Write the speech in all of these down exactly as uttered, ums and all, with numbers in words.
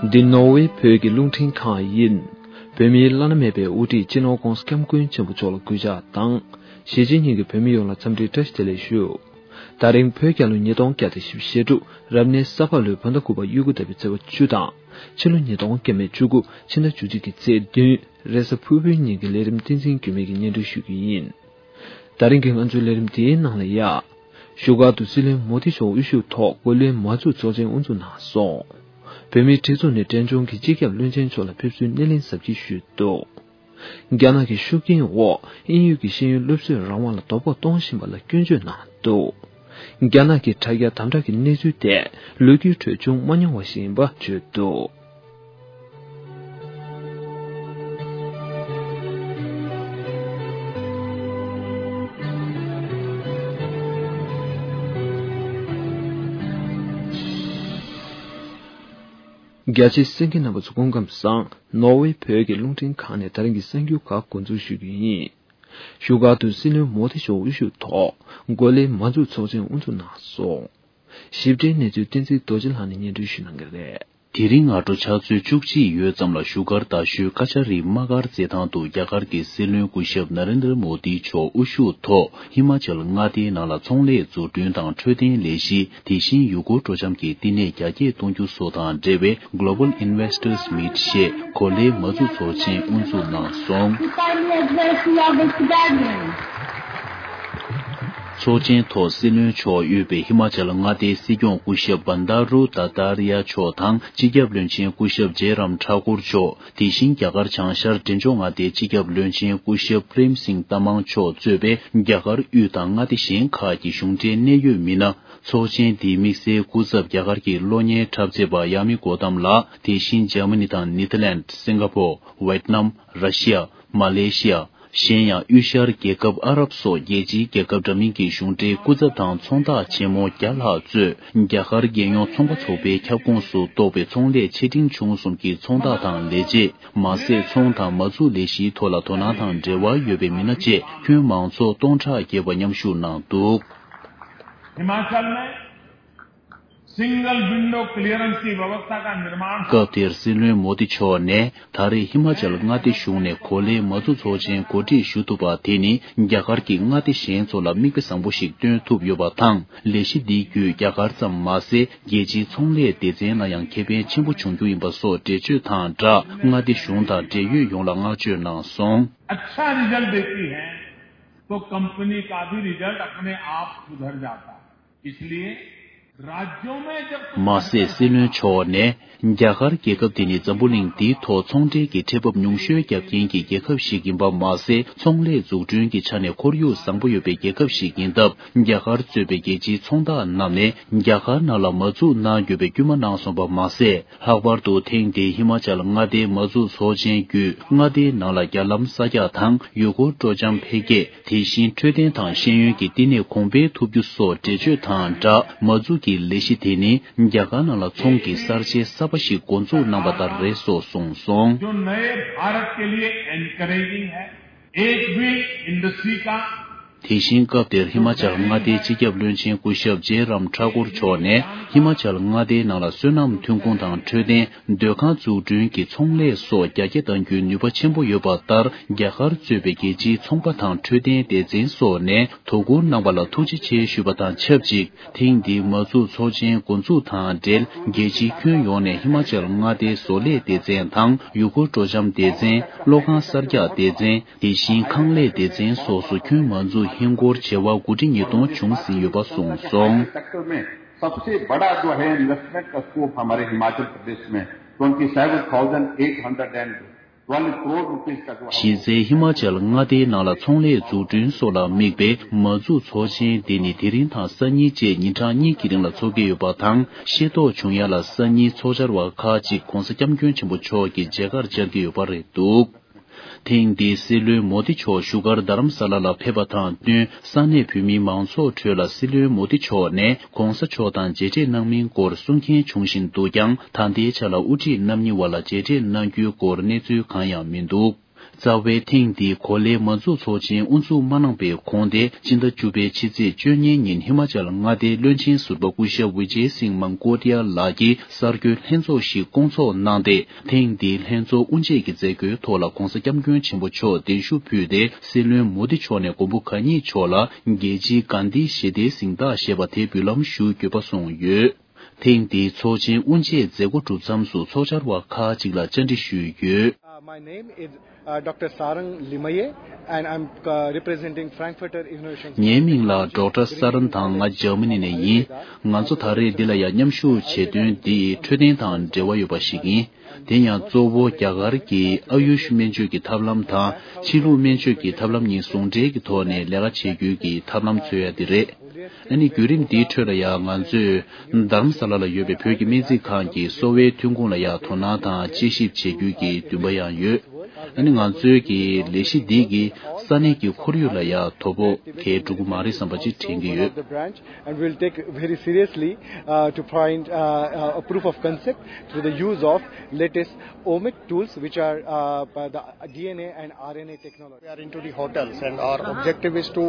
འདི་ནོར་ཝེ་བོད་ཀྱི་རླུང་འཕྲིན་ཁང་ཡིན། བོད་མིའི་བླ་ན་མེད་པའི་དབུ་ཁྲིད་སྤྱི་ནོར་༧གོང་ས་༧སྐྱབས་མགོན་ཆེན་པོ་མཆོག་ལ་གུས་ཕྱག་དང་། གཞིས་བྱེས་གཉིས་ཀྱི་བོད་མི་ཡོངས་ལ་འཚམས་འདྲིའི་བཀྲ་ཤིས་བདེ་ལེགས་ཞུ། ད་རིང་བོད་རྒྱལ་ལོ་ཉིས་སྟོང་བརྒྱ་དང་བཞི་བཅུ་ཞེ་དྲུག་རབ་གནས་ས་ཕག་ལོའི་བོད་ཟླ་དགུ་པ་དབྱུག་གུ་ཟླ་བའི་ཚེས་པ་བཅུ་དང་། ཕྱི་ལོ་ཉིས་སྟོང་བརྒྱ་མེད་བཅུ་དགུ་ཕྱི་ཟླ་བཅུ་གཅིག་གི་ཚེས་བདུན་རེས་གཟའ་ཕུར་བུའི་ཉིན་གྱི་ལས་རིམ་བསྟན་འཛིན་འགྱུར་མེད་ཀྱིས་སྙན་སྒྲོན་ཞུ་རྒྱུ་ཡིན། ད་རིང་གི་ང་ཚོའི་ལས་རིམ་འདིའི་ནང་ལ་ཡ། བཞུགས་སྒར་དུ་སྲིད་བློན་མོ་དི་མཆོག་དབུ་བཞུགས་ཐོག་གོ་ལའི་མ་འཛུགས་ཚོགས་ཆེན་དབུ་འཛུགས་གནང་སོང་། བོད་མིའི་སྒྲིག་འཛུགས་ནས་འབྲས་ལྗོངས་ཀྱི་སྤྱི་ཁྱབ་བློན་ཆེན་མཆོག་ལ་ཕེབས་བསུའི་སྣེ་ལེན་གཟབ་རྒྱས་ཞུས་འདུག་རྒྱ་ནག་གི་ཤུགས་རྐྱེན་འོག་དབྱིན་ཡུལ་གྱི་ཤེས་ཡོན་སློབ་གསོའི་རང་དབང་ལ་དོ་ཕོག་གཏོང་བཞིན་པ་ལ་སྐྱོན་བརྗོད་གནང་འདུག་རྒྱ་ནག་གི་དྲ་རྒྱ་དམ་དྲག་གི་གནས་ཚུལ་དེ་ལོ་རྒྱུས་ཁྲོད་བྱུང་མ་མྱོང་བ་ཞིག་ཡིན་པ་བརྗོད་འདུག་རྒྱ་ཆེའི་གསན་མཁན་རྣམ་པ་ཚོ་སྐུ་ཁམས་བཟང་། ནོར་ཝེ་བོད་ཀྱི་རླུང་འཕྲིན་ཁང་ནས་ད་རིང་གི་གསར་འགྱུར་ཁག་འགོ་འཛུགས་ཞུ་རྒྱུ་ཡིན། བཞུགས་སྒར་དུ་སྲིད་བློན་མོ་དི་མཆོག་དབུ་བཞུགས་ཐོག་གོ་ལའི་མ་འཛུགས་ཚོགས་ཆེན་དབུ་འཛུགས་གནང་སོང་། ཞིབ་ཕྲའི་གནས་ཚུལ་བསྟན་འཛིན་རྡོ་རྗེ་ལགས་ནས་སྙན་སྒྲོན་ཞུ་གནང་གི་རེད། དེ་རིང་སྔ་དྲོ་ཕྱག་ཚོད་བཅུ་གཅིག་ཡོལ་ཙམ་ལ་བཞུགས་སྒར་རྡ་ཤོད་ཀ་ཆ་རི་དམག་སྒར་རྩེད་ཐང་དུ་རྒྱ་གར་གྱི་སྲིད་བློན་སྐུ་ཞབས་ན་རེན་དྲ་མོ་དི་མཆོག་དབུ་བཞུགས་ཐོག་ཧི་མ་ཅལ་མངའ་སྡེའི་ནང་ལ་ཚོང་ལས་འཛུགས་སྐྲུན་དང་འཕྲོད་བསྟེན་ལས་གཞི། དེ་བཞིན་ཡུལ་སྐོར་སྤྲོ་འཆམ་གྱི་བསྟི་གནས་རྒྱ་སྐྱེད་གཏོང་རྒྱུ་སོགས་དང་འབྲེལ་བའི་Global Investors Meet ཞེས་གོ་ལའི་མ་འཛུགས་ཚོགས་ཆེན་དབུ་འཛུགས་གནང་སོང་། ཚོགས་ཆེན་ཐོག་སྲིད་བློན་མཆོག་དབུས་པའི་ཧི་མ་ཅལ་མངའ་སྡེའི་སྲིད་སྐྱོང་སྐུ་ཞབས་བན་དཱ་རུ་དཱ་དཱ་རི་ཡ་མཆོག་དང་སྤྱི་ཁྱབ་བློན་ཆེན་སྐུ་ཞབས་ཇེ་རམ་ཐ་ཀུར་མཆོག་དེ་བཞིན་རྒྱ་གར་བྱང་ཤར་འབྲས་ལྗོངས་མངའ་སྡེའི་སྤྱི་ཁྱབ་བློན་ཆེན་སྐུ་ཞབས་པྲེམ་སིང་ཏ་མང་མཆོག་གཙོས་པའི་རྒྱ་གར་དབུས་དང་མངའ་སྡེ་གཞན་ཁག་གི་གཞུང་འབྲེལ་གནད་ཡོད་མི་སྣ། ཚོགས་ཆེན་འདིའི་དམིགས་བསལ་སྐུ་ཚབ་རྒྱ་གར་གྱི་གློག་བརྙན་འཁྲབ་མཛད་པ་ཡ་མི་གོ་ཏམ་ལགས། དེ་བཞིན་འཇར་མ་ནི་དང་ནེ་ཐར་ལེནྜ། སིང་ག་ཕོར། ཝེད་ནམ། ར་ཤི་ཡ། མ་ལེ་ཤི་ཡ། གཞན་ཡང་དབུས་ཤར་རྒྱལ་ཁབ་ཨ་རབ་སོགས་རྒྱལ་སྤྱིའི་རྒྱལ་ཁབ་འདྲ་མིན་གྱི་གཞུང་འབྲེལ་སྐུ་ཚབ་དང་ཚོང་བདག་ཆེན་མོ་བརྒྱ་ལྷག་གཙོས་རྒྱ་གར་རྒྱལ་ཡོངས་ཚོང་པ་ཚོགས་པའི་ཁྱབ་ཁོངས་སུ་གཏོགས་པའི་ཚོང་ལས་ཆེ་འབྲིང་ཆུང་གསུམ་གྱི་ཚོང་བདག་དང་ལས་བྱེད། མ་ཟད་ཚོང་དང་མ་འཛུགས་ལས་གཞིའི་ཐོག་ལ་དོ་སྣང་དང་འབྲེལ་བ་ཡོད་པའི་མི་སྣ་བཅས་ཁྱོན་མང་ཚོགས་སྟོང་ཕྲག་བརྒལ་བ་མཉམ་ཞུགས་གནང་འདུག། हिमाचल में single window clearance की व्यवस्था का निर्माण। སྐབས་དེར་སྲིད་བློན་མོ་དི་མཆོག་ནས་ད་རེས་ཧི་མ་ཅལ་མངའ་སྡེ་གཞུང་ནས་གོ་ལའི་མ་འཛུགས་ཚོགས་ཆེན་གོ་སྒྲིག་ཞུ་ཐུབ་པ་དེ་ནི་རྒྱ་གར་གྱི་མངའ་སྡེ་གཞན་ཚོ་ལ་མིག་དཔེ་བཟང་པོ་ཞིག་སྟོན་ཐུབ་ཡོད་པ་དང་། ལས་གཞི་འདི་བརྒྱུད་རྒྱ་གར་ཙམ་མ་ཟད་རྒྱལ་སྤྱིའི་ཚོང་ལས་སྡེ་ཚན་ལ་ཡང་ཁེ་ཕན་ཆེན་པོ་འབྱུང་རྒྱུ་ཡིན་པ་སོགས་འགྲེལ་བརྗོད་དང་སྦྲགས་མངའ་སྡེ་གཞུང་དང་འབྲེལ་ཡོད་ཡོངས་ལ་བསྔགས་བརྗོད་གནང་སོང་། अच्छा रिजल्ट देती है तो कंपनी का भी रिजल्ट अपने आप सुधर जाता है। इसलिए राज्यों में जब तुम। མ་ཟད་སྲིད་བློན་མཆོག་ནས་རྒྱ་གར་རྒྱལ་ཁབ་དེ་ནི་འཛམ་བུ་གླིང་འདིའི་ཐོག་ཚོང་འབྲེལ་གྱི་ཁྲལ་འབབ་ཉུང་ཤོས་བརྒྱབ་མཁན་གྱི་རྒྱལ་ཁབ་ཞིག་ཡིན་པ་མ་ཟད། ཚོང་ལས་འཛུགས་སྐྲུན་གྱི་ཆ་ནས་ཁོར་ཡུག་བཟང་པོ་ཡོད་པའི་རྒྱལ་ཁབ་ཞིག་ཡིན་སྟབས། རྒྱ་གར་གཙོས་པའི་རྒྱལ་སྤྱིའི་ཚོང་བདག་རྣམས་ནས་རྒྱ་གར་ནང་ལ་མ་འཛུགས་གནང་དགོས་པའི་སྐུལ་མ་གནང་སོང་བ་མ་ཟད། ལྷག་པར་དུ་ཐེངས་འདིའི་ཧི་མ་ཅལ་མངའ་སྡེའི་མ་འཛུགས་ཚོགས་ཆེན་བརྒྱུད་མངའ་སྡེའི་ནང་ལ་རྒྱ་ལམ་གསར་རྒྱག་དང་ཡུལ་སྐོར་སྤྲོ་འཆམ་འཕེལ་རྒྱས། དེ་བཞིན་འཕྲོད་བསྟེན་དང་ཤེས་ཡོན་གྱི་བསྟི་གནས་གོང་འཕེལ་ཐུབ་རྒྱུ་སོགས་འགྲེལ་བརྗོད་དང་སྦྲགས། མ་འཛུགས་ཀྱི་ལས་གཞི་དེ་ནི་རྒྱ་གར་ནང་ལ་ཚོང་གི་གསར་བརྗེ་གསར་པ་ཞིག་འགོ་འཛུགས་གནང་བ་ལྟར་རེད་སོགས་གསུངས་སོང་། जो नए भारत के लिए एनकरेजिंग है। एक भी इंडस्ट्री का དེ་བཞིན་སྐབས་དེར་ཧི་མ་ཅལ་མངའ་སྡེའི་སྤྱི་ཁྱབ་བློན་ཆེན་སྐུ་ཞབས་ཇེ་རམ་ཐ་ཀུར་མཆོག་ནས་ཧི་མ་ཅལ་མངའ་སྡེའི་ནང་ལ་སོ་ནམ་ཐོན་ཁུངས་དང་འཕྲོད་བསྟེན། སྡོད་ཁང་འཛུགས་སྐྲུན་གྱི་ཚོང་ལས་སོགས་རྒྱ་སྐྱེད་གཏང་རྒྱུའི་ནུས་པ་ཆེན་པོ་ཡོད་པ་ལྟར། རྒྱ་གར་གཙོས་པའི་རྒྱལ་སྤྱིའི་ཚོང་པ་དང་འཕྲོད་བསྟེན་སྡེ་ཚན་སོགས་ནས་དོ་ཁུར་གནང་བ་ལ་ཐུགས་རྗེ་ཆེ་ཞུས་པ་དང་ཆབས་ཅིག་ཐེངས་འདིའི་མ་འཛུགས་ཚོགས་ཆེན་འགོ་འཛུགས་དང་འབྲེལ། རྒྱལ་སྤྱིའི་ཁྱོན་ཡོངས་ནས་ཧི་མ་ཅལ་མངའ་སྡེའི་བཟོ་ལས་སྡེ་ཚན་དང་ཡུལ་སྐོར་སྤྲོ་འཆམ་སྡེ་ཚན། གློག་ཁང་གསར་རྒྱག་སྡེ་ཚན། དེ་བཞིན་ཁང་ལས་སྡེ་ཚན་སོགས་སུ་ཁྱོན་མ་འཛུགས་ཧིན་སྒོར་བྱེ་བ་དགུ་ཁྲི་ཉིས་སྟོང་བྱུང་ཟིན་ཡོད་པ་གསུངས་སོང་། सेक्टर में सबसे बड़ा जो है इन्वेस्टमेंट का स्कोप हमारे हिमाचल प्रदेश में twenty seven thousand eight hundred and twelve crore rupees का जो है གཞི་རྩའི་ཧི་མ་ཅལ་མངའ་སྡེའི་ནང་ལ་ཚོང་ལས་འཛུགས་སྐྲུན་སོགས་ལ་དམིགས་པའི་མ་འཛུགས་ཚོགས་ཆེན་འདི་ནི་དེ་རིང་དང་སང་ཉིན་བཅས་ཉིན་གྲངས་གཉིས་ཀྱི་རིང་ལ་འཚོགས་ཀྱི་ཡོད་པ་དང་། ཤེས་རྟོགས་བྱུང་ཡ་ལ་སང་ཉིན་ཚོགས་བཅར་བ་ཁག་ཅིག་༧གོང་ས་༧སྐྱབས་མགོན་ཆེན་པོ་མཆོག་གི་མཇལ་ཁར་བཅར་གྱི་ཡོད་པ་རེད་འདུག་ཐེངས་འདིའི་སྲིད་བློན་མོ་དི་མཆོག་བཞུགས་སྒར་རྡ་རམ་ས་ལ་ལ་ཕེབས་པ་དང་བསྟུན། ས་གནས་བོད་མིའི་མང་ཚོགས་ཁྲོད་ལ་སྲིད་བློན་མོ་དི་མཆོག་ནས་༧གོང་ས་མཆོག་དང་མཇལ་འཕྲད་གནང་མིན་སྐོར་གསུང་མཁན་བྱུང་བཞིན་འདུག་ཀྱང་། ད་ལྟའི་ཆ་ལ་དབུ་ཁྲིད་རྣམ་གཉིས་བར་ལ་མཇལ་འཕྲད་གནང་རྒྱུའི་སྐོར་གནས་ཚུལ་གང་ཡང་མི་འདུག་རྩ་བའི་ཐེངས་འདིའི་གོ་ལའི་མ་འཛུགས་ཚོགས་ཆེན་དབུ་འཛུགས་མ་གནང་པའི་གོང་སྟེ། སྤྱི་ཟླ་བཅུ་པའི་ཕྱི་ཚེས་བཅུ་གཉིས་ཉིན་ཧི་མ་ཅལ་མངའ་སྡེའི་བློན་ཆེན་ཟུར་པ་སྐུ་ཞབས་ཝི་ཇེ་སིང་མན་ཀོ་ཏི་ཡ་ལགས་ཀྱིས་གསར་འགོད་ལྷན་ཚོགས་ཤིག་བསྐོང་ཚོགས་གནང་སྟེ། ཐེངས་འདིའི་ལྷན་ཚོགས་དབུ་འབྱེད་ཀྱི་མཛད་སྒོའི་ཐོག་ལ་༧གོང་ས་༧སྐྱབས་མགོན་ཆེན་པོ་མཆོག་གདན་ཞུ་ཕུལ་ཏེ། སྲིད་བློན་མོ་དི་མཆོག་ནས་མགོན་པོ་གང་ཉིད་མཆོག་ལ་རྒྱལ་སྤྱིའི་གྷན་དྷི་ཞི་བདེའི་གཟེངས་རྟགས་ཞེས་པ་དེ་འབུལ་ལམ་ཞུ་དགོས་པ་གསུངས་ཡོད། ཐེངས་འདིའི་ཚོགས་ཆེན་དབུ་འབྱེད་མཛད་སྒོ་གྲུབ་མཚམས་སུ་ཚོགས་བཅར་བ་ཁག་ཅིག་ལ་བཅར་འདྲི་ཞུས་ཡོད། Uh, my name is uh, Doctor Sarang Limaye, and I'm uh, representing Frankfurter International ངའི་མིང་ལ་ཌོག་ཊར་ས་རན་དང་། ང་འཇར་མ་ནི་ནས་ཡིན། ང་ཚོ་ད་རེས་འདི་ལ་ཡང་མཉམ་ཞུགས་བྱེད་དོན་འདི་འཕྲོད་བསྟེན་དང་འབྲེལ་བ་ཡོད་པ་ཞིག་ཡིན། དེ་ཡང་གཙོ་བོ་རྒྱ་གར་གྱི་ཨ་ཡུཤ་སྨན་བཅོས་ཀྱི་ཐབས་ལམ་དང་། ཕྱི་ལུགས་སྨན་བཅོས་ཀྱི་ཐབས་ལམ་གཉིས་ཟུང་འབྲེལ་གྱི་ཐོག་ནས་ལས་ཀ་བྱེད་རྒྱུའི་གི་ཐབས་ལམ་འཚོལ་ཡ་དེ་རེད། ཨ་ནི་བརྒྱུད་རིམ་འདིའི་ཁྲོད་ལ་ཡང་ང་ཚོས་དྷ་རམ་ས་ལ་ལ་ཡོད་པའི་བོད་ཀྱི་སྨན་རྩིས་ཁང་གི་གསོ་བའི་ཐོན་ཁུངས་ལ་ཡང་དོ་སྣང་དང་དཔྱད་ཞིབ་བྱེད་རྒྱུའི་གི་འདུན་པ་ཡང་ཡོད། ཨ་ནི་ང་ཚོའི་གི་ལས་གཞི་འདི་གིས་ས་གནས་ཀྱི་ཁོར་ཡུག་ལ་ཡང་དོ་ཕོག་གང་ཡང་འགྲོ་གི་མ་རེད་བསམ་པ་ཅིག་དྲན་གྱི་ཡོད། And we'll take very seriously uh, to find uh, uh, a proof of concept through the use of latest omic tools, which are uh, the D N A and R N A technology. We are into the hotels, and our objective is to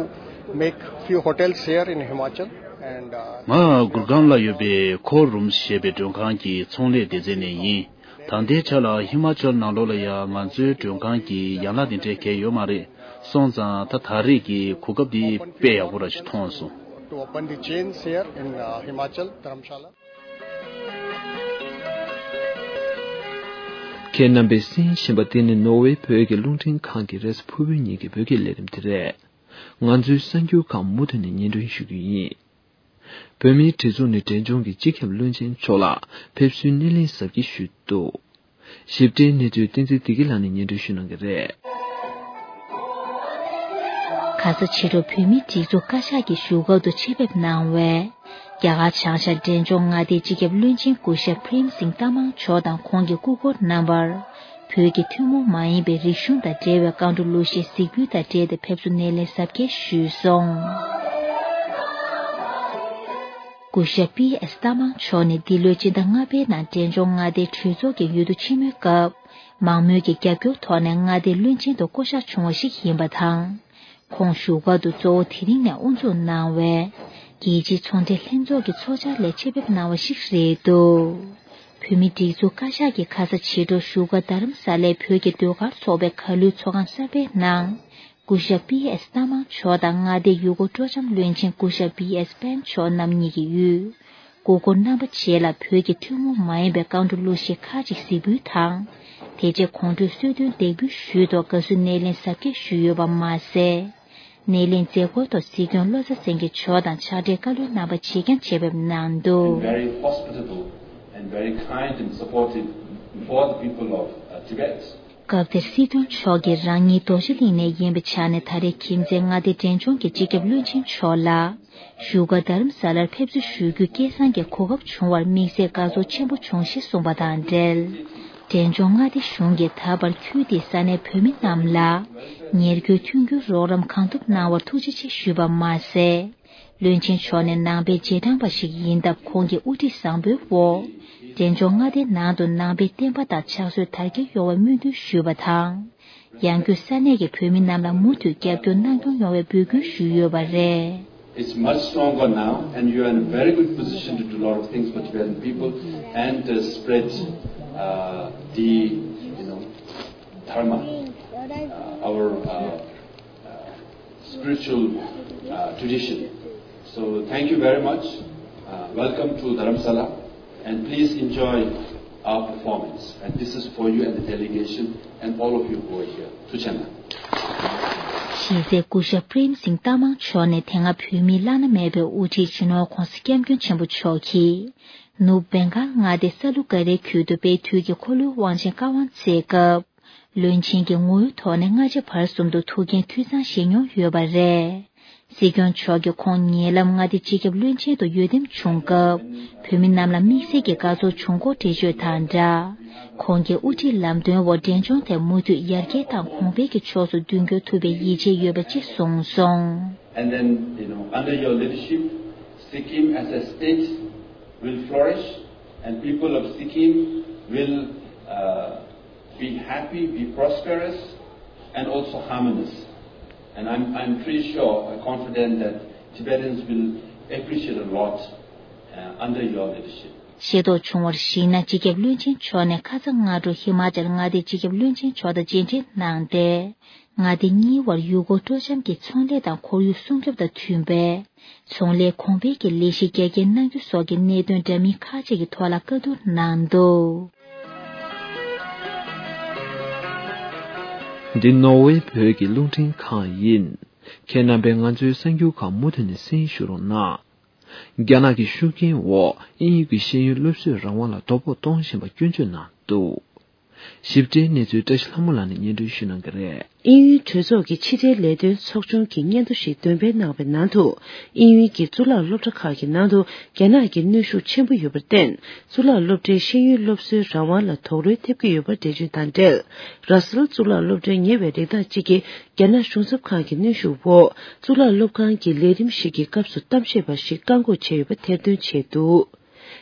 make few hotels here in Himachal. And uh, ང་གུར་གྷན་ལ་ཡོད་པའི་ཁོ་རུམ་ཞེས་པའི་མགྲོན་ཁང་གི་ཚོང་ལས་སྡེ་ཚན་ནས་ཡིན། ད་ལྟའི་ཆ་ལ་ཧི་མ་ཅལ་ནང་ལོགས་ལ་ཡང་ང་ཚོའི་མགྲོན་ཁང་གི་ཡན་ལག་དེ་འདྲའི་གང་ཡང་ཡོད་མ་རེད། སོང་ཙང་ད་ད་རེས་ཀྱི་གོ་སྐབས་འདི་དཔེ་ཡག་པོ་ར་ཞིག་མཐོང་སོང་། To open the chains here in uh, Himachal, Dharamshala. ཁྱེད་རྣམ་པས་གསན་བཞིན་པ་འདི་ནི་ནོར་ཝེ་བོད་ཀྱི་རླུང་འཕྲིན་ཁང་གི་རེས་གཟའ་ཕུར་བུའི་ཉིན་གྱི་བོད་སྐད་ལས་རིམ་དེ་རེད། ང་ཚོའི་གསར་འགྱུར་ཁག་མུ་མཐུད་ནས་སྙན་སྒྲོན་ཞུ་རྒྱུ་ཡིན། བོད་མིའི་སྒྲིག་འཛུགས་ནས་འབྲས་ལྗོངས་ཀྱི་སྤྱི་ཁྱབ་བློན་ཆེན་མཆོག་ལ་ཕེབས་བསུའི་སྣེ་ལེན་གཟབ་རྒྱས་ཞུས་འདུག་ཞིབ་ཕྲའི་གནས་ཚུལ་བསྟན་འཛིན་བདེ་སྐྱིད་ལགས་ནས་སྙན་སྒྲོན་ཞུ་གནང་གི་རེད། ཁ་ས་ཕྱི་དྲོ་བོད་མིའི་སྒྲིག་འཛུགས་བཀའ་ཤག་གི་བཞུགས་སྒར་དུ་ཆེད་ཕེབས་གནང་བའི་རྒྱ་གར་བྱང་ཤར་འབྲས་ལྗོངས་མངའ་སྡེའི་སྤྱི་ཁྱབ་བློན་ཆེན་སྐུ་ཞབས་པྲེམ་སིང་ཏ་མང་མཆོག་དང་ཁོང་གི་སྐུ་འཁོར་རྣམ་པར། བོད་ཀྱི་ཐུན་མོང་མ་ཡིན་པའི་རིག་གཞུང་དང་འབྲེལ་བའི་བཀའ་འཁྲོལ་གླུ་གཞས་གཟིགས་འབུལ་དང་འབྲེལ་ཏེ་ཕེབས་བསུ་སྣེ་ལེན་གཟབ་རྒྱས་ཞུས་སོང་། སྐུ་ཞབས་པི་ཨེས་ཏ་མང་མཆོག་ནི་འདི་ལོའི་སྤྱི་ཟླ་ལྔ་པའི་ནང་འབྲས་ལྗོངས་མངའ་སྡེའི་གྲོས་ཚོགས་ཀྱི་འོས་བསྡུ་ཆེན་མོའི་སྐབས། མང་མོས་ཀྱི་རྒྱབ་སྐྱོར་ཐོག་ནས་མངའ་སྡེའི་བློན་ཆེན་དུ་བསྐོ་གཞག་བྱུང་བ་ཞིག་ཡིན་པ་དང་། ཁོང་བཞུགས་སྒར་དུ་གཙོ་བོ་དེ་རིང་ནས་དབུ་འཛུགས་གནང་བའི་རྒྱལ་སྤྱིའི་ཚོང་འབྲེལ་ལྷན་ཚོགས་ཀྱི་ཚོགས་བཅར་ལ་ཆེད་ཕེབས་གནང་བ་ཞིག་རེད་འདུག་བོད་མིའི་སྒྲིག་འཛུགས་བཀའ་ཤག་གིས་ཁ་ས་ཕྱི་དྲོ་བཞུགས་སྒར་རྡ་རམ་ས་ལའི་བོད་ཀྱི་ཟློས་གར་ཚོགས་པའི་གར་གླུའི་ཚོགས་ཁང་གསར་པའི་ནང་། སྐུ་ཞབས་པི་ཨེས་ཏ་མང་མཆོག་དང་མངའ་སྡེའི་ཡུལ་སྐོར་སྤྲོ་འཆམ་བློན་ཆེན་སྐུ་ཞབས་པི་ཨེས་པན་མཆོག་རྣམ་གཉིས་ཀྱིས་ཡུལ་སྐུ་འཁོར་རྣམ་པ་བཅས་ལ་བོད་ཀྱི་ཐུན་མོང་མ་ཡིན་པའི་བཀའ་འཁྲོལ་གླུ་གཞས་ཁག་ཅིག་གཟིགས་འབུལ་དང་། དེ་རྗེས་གོང་བགྲོད་གསོལ་སྟོན་འདེགས་འབུལ་ཞུས་ཐོག་དགའ་བསུའི་སྣེ་ལེན་གཟབ་རྒྱས་ཞུས་ཡོད་པ་མ་ཟད། སྣེ་ལེན་མཛད་སྒོའི་ཐོག་སྲིད་སྐྱོང་བློ་བཟང་སེང་གེ་མཆོག་དང་ཕྱག་སྦྲེལ་བཀའ་བློན་རྣམ་པ་བྱེས་ཀྱང་ཆེད་ཕེབས་གནང་འདུག Very hospitable and very kind and supportive for the people of uh, Tibet. སྐབས་དེར་སྲིད་སྐྱོང་མཆོག་གིས་རང་ཉིད་རྡོ་རྗེ་གླིང་ནས་ཡིན་པའི་ཆ་ནས་ད་རེས་ཁྱིམ་མཚེས་མངའ་སྡེ་འབྲས་ལྗོངས་ཀྱི་སྤྱི་ཁྱབ་བློན་ཆེན་མཆོག་ལ། བཞུགས་སྒར་རྡ་རམ་ས་ལར་ཕེབས་བསུ་ཞུ་རྒྱུའི་སྐལ་བཟང་གི་གོ་སྐབས་བྱུང་བར་དམིགས་བསལ་དགའ་ཚོར་ཆེན་པོ་བྱུང་ཞེས་གསུངས་པ་དང་འབྲེལ། འབྲས་ལྗོངས་མངའ་སྡེ་གཞུང་གིས་ད་བར་ཁུལ་དེའི་ས་གནས་བོད་མི་རྣམས་ལ། ཉེར་མཁོའི་མཐུན་འགྱུར་རོགས་རམ་གང་ཐུབ་གནང་བར་ཐུགས་རྗེ་ཆེ་ཞུས་པ་མ་ཟད། བློན་ཆེན་མཆོག་ནི་ནང་པའི་རྗེས་འབྲང་པ་ཞིག་ཡིན་སྟབས། ཁོང་གི་དབུ་ཁྲིད་བཟང་པོའི་འོག་འབྲས་ལྗོངས་མངའ་སྡེའི་ནང་དུ་ནང་པའི་བསྟན་པ་དང་ཕྱག་སྲོལ་དར་རྒྱས་ཡོང་བའི་སྨོན་འདུན་ཞུས་པ་དང་། ཡང་སྒོས་ས་གནས་ཀྱི་བོད་མི་རྣམས་ལ་མུ་མཐུད་རྒྱབ་སྐྱོར་གནང་སྐྱོང་ཡོང་བའི་འབོད་སྐུལ་ཞུས་ཡོད་པ་རེད། It's much stronger now, and you are in a very good position to do a lot of things for Tibetan people and uh, spread uh, the, you know, dharma, uh, our uh, uh, spiritual uh, tradition. So thank you very much. Uh, welcome to Dharamsala, and please enjoy our performance. And this is for you and the delegation and all of you who are here. Tuchana. གཞི་རྩའི་སྐུ་ཞབས་པྲེམ་སིང་ཏ་མང་མཆོག་ནས་དེ་སྔ་བོད་མིའི་བླ་ན་མེད་པའི་དབུ་ཁྲིད་སྤྱི་ནོར་༧གོང་ས་༧སྐྱབས་མགོན་ཆེན་པོ་མཆོག་གིས། ནུབ་བེང་གཱལ་མངའ་སྡེ་ས་ལུ་ཀ་རའི་ཁུལ་དུ་དཔལ་དུས་ཀྱི་འཁོར་ལོའི་དབང་ཆེན་བཀའ་དབང་སྩལ་སྐབས། བློན་ཆེན་གྱི་ངོ་བོའི་ཐོག་ནས་སྔ་ཕྱི་བར་གསུམ་དུ་ཐུགས་འགན་འཐུས་ཚང་བཞེས་མྱོང་ཡོད་པ་རེད། སྲིད་སྐྱོང་མཆོག་གིས་ཁོང་ཉེ་ལམ་མངའ་སྡེའི་སྤྱི་ཁྱབ་བློན་ཆེན་དུ་འོས་འདེམས་བྱུང་སྐབས། བོད་མི་རྣམས་ལ་དམིགས་བསལ་གྱི་དགའ་ཚོར་བྱུང་སྐོར་འགྲེལ་བརྗོད་དང་སྦྲགས། ཁོང་གིས་དབུ་ཁྲིད་ལམ་སྟོན་འོག་འབྲས་ལྗོངས་དེ་མུ་མཐུད་ཡར་རྒྱས་དང་གོང་འཕེལ་གྱི་ཕྱོགས་སུ་མདུན་སྐྱོད་ཐུབ་པའི་ཡིད་ཆེས་ཡོད་པ་ཅེས་གསུངས་སོང་། And then, you know, under your leadership, Sikkim as a state will flourish, and people of Sikkim will uh, be happy, be prosperous, and also harmonious. And I'm, I'm pretty sure, uh, confident that Tibetans will appreciate a lot, uh, under your leadership. ཤེས་རྟོགས་བྱུང་བར་གཞིགས་ན། སྤྱི་ཁྱབ་བློན་ཆེན་མཆོག་ནས་ཁ་སང་སྔ་དྲོ་ཧི་མ་ཅལ་མངའ་སྡེའི་སྤྱི་ཁྱབ་བློན་ཆེན་མཆོག་དང་མཇལ་འཕྲད་གནང་སྟེ། མངའ་སྡེ་གཉིས་བར་ཡུལ་སྐོར་སྤྲོ་འཆམ་གྱི་ཚོང་ལས་དང་ཁོར་ཡུག་སྲུང་སྐྱོབ་དང་མཐུན་པའི་ཚོང་ལས་གོང་འཕེལ་གྱི་ལས་གཞི་རྒྱ་སྐྱེད་གནང་རྒྱུ་སོགས་ཀྱི་གནད་དོན་འདྲ་མིན་ཁག་ཅིག་གི་ཐོག་ལ་བཀའ་བསྡུར་གནང་འདུག་འདི་ནོར་ཝེ་བོད་ཀྱི་རླུང་འཕྲིན་ཁང་ཡིན། ཁྱེད་རྣམ་པས་ང་ཚོའི་གསར་འགྱུར་ཁག་མུ་མཐུད་ནས་གསན་ཞུ་རོགས་གནང་། རྒྱ་ནག་གི་ཤུགས་རྐྱེན་འོག་དབྱིན་ཡུལ་གྱི་ཤེས་ཡོན་སློབ་གསོའི་རང་དབང་ལ་དོ་ཕོག་གཏོང་བཞིན་པ་སྐྱོན་བརྗོད་གནང་འདུག་ཞིབ་ཕྲའི་གནས་ཚུལ་བཀྲ་ཤིས་ལྷ་མོ་ལགས་ནས་སྙན་སྒྲོན་ཞུ་གནང་གི་རེད། དབྱིན་ཡུལ་གྲོས་ཚོགས་ཀྱི་ཕྱི་འབྲེལ་ལས་དོན་ཚོགས་ཆུང་གིས་སྙན་ཐོ་ཞིག་འདོན་སྤེལ་གནང་བའི་ནང་དུ། དབྱིན་ཡུལ་གྱི་གཙུག་ལག་སློབ་གྲྭ་ཁག་གི་ནང་དུ་རྒྱ་ནག་གི་གནོན་ཤུགས་ཆེན་པོ་ཡོད་པར་བརྟེན། གཙུག་ལག་སློབ་གྲྭའི་ཤེས་ཡོན་སློབ་གསོའི་རང་དབང་ལ་དོགས་རོལ་ཐེབས་ཀྱི་ཡོད་པ་འགྲེལ་བརྗོད་དང་འབྲེལ། ར་སལ་གཙུག་ལག་སློབ་གྲྭའི་ཉེ་བའི་རིགས་བདག་ཅིག་གིས་རྒྱ་ནག་གཞུང་ཚབ་ཁང་གི་གནོན་ཤུགས་འོག་གཙུག་ལག་སློབ་ཁང་གི་ལས་རིམ་ཞིག་གི་སྐབས་སུ་གཏམ་བཤད་པ་ཞིག་བཀག་འགོག་བྱས་ཡོད་པ་ཐེར་འདོན་བྱས་འདུག་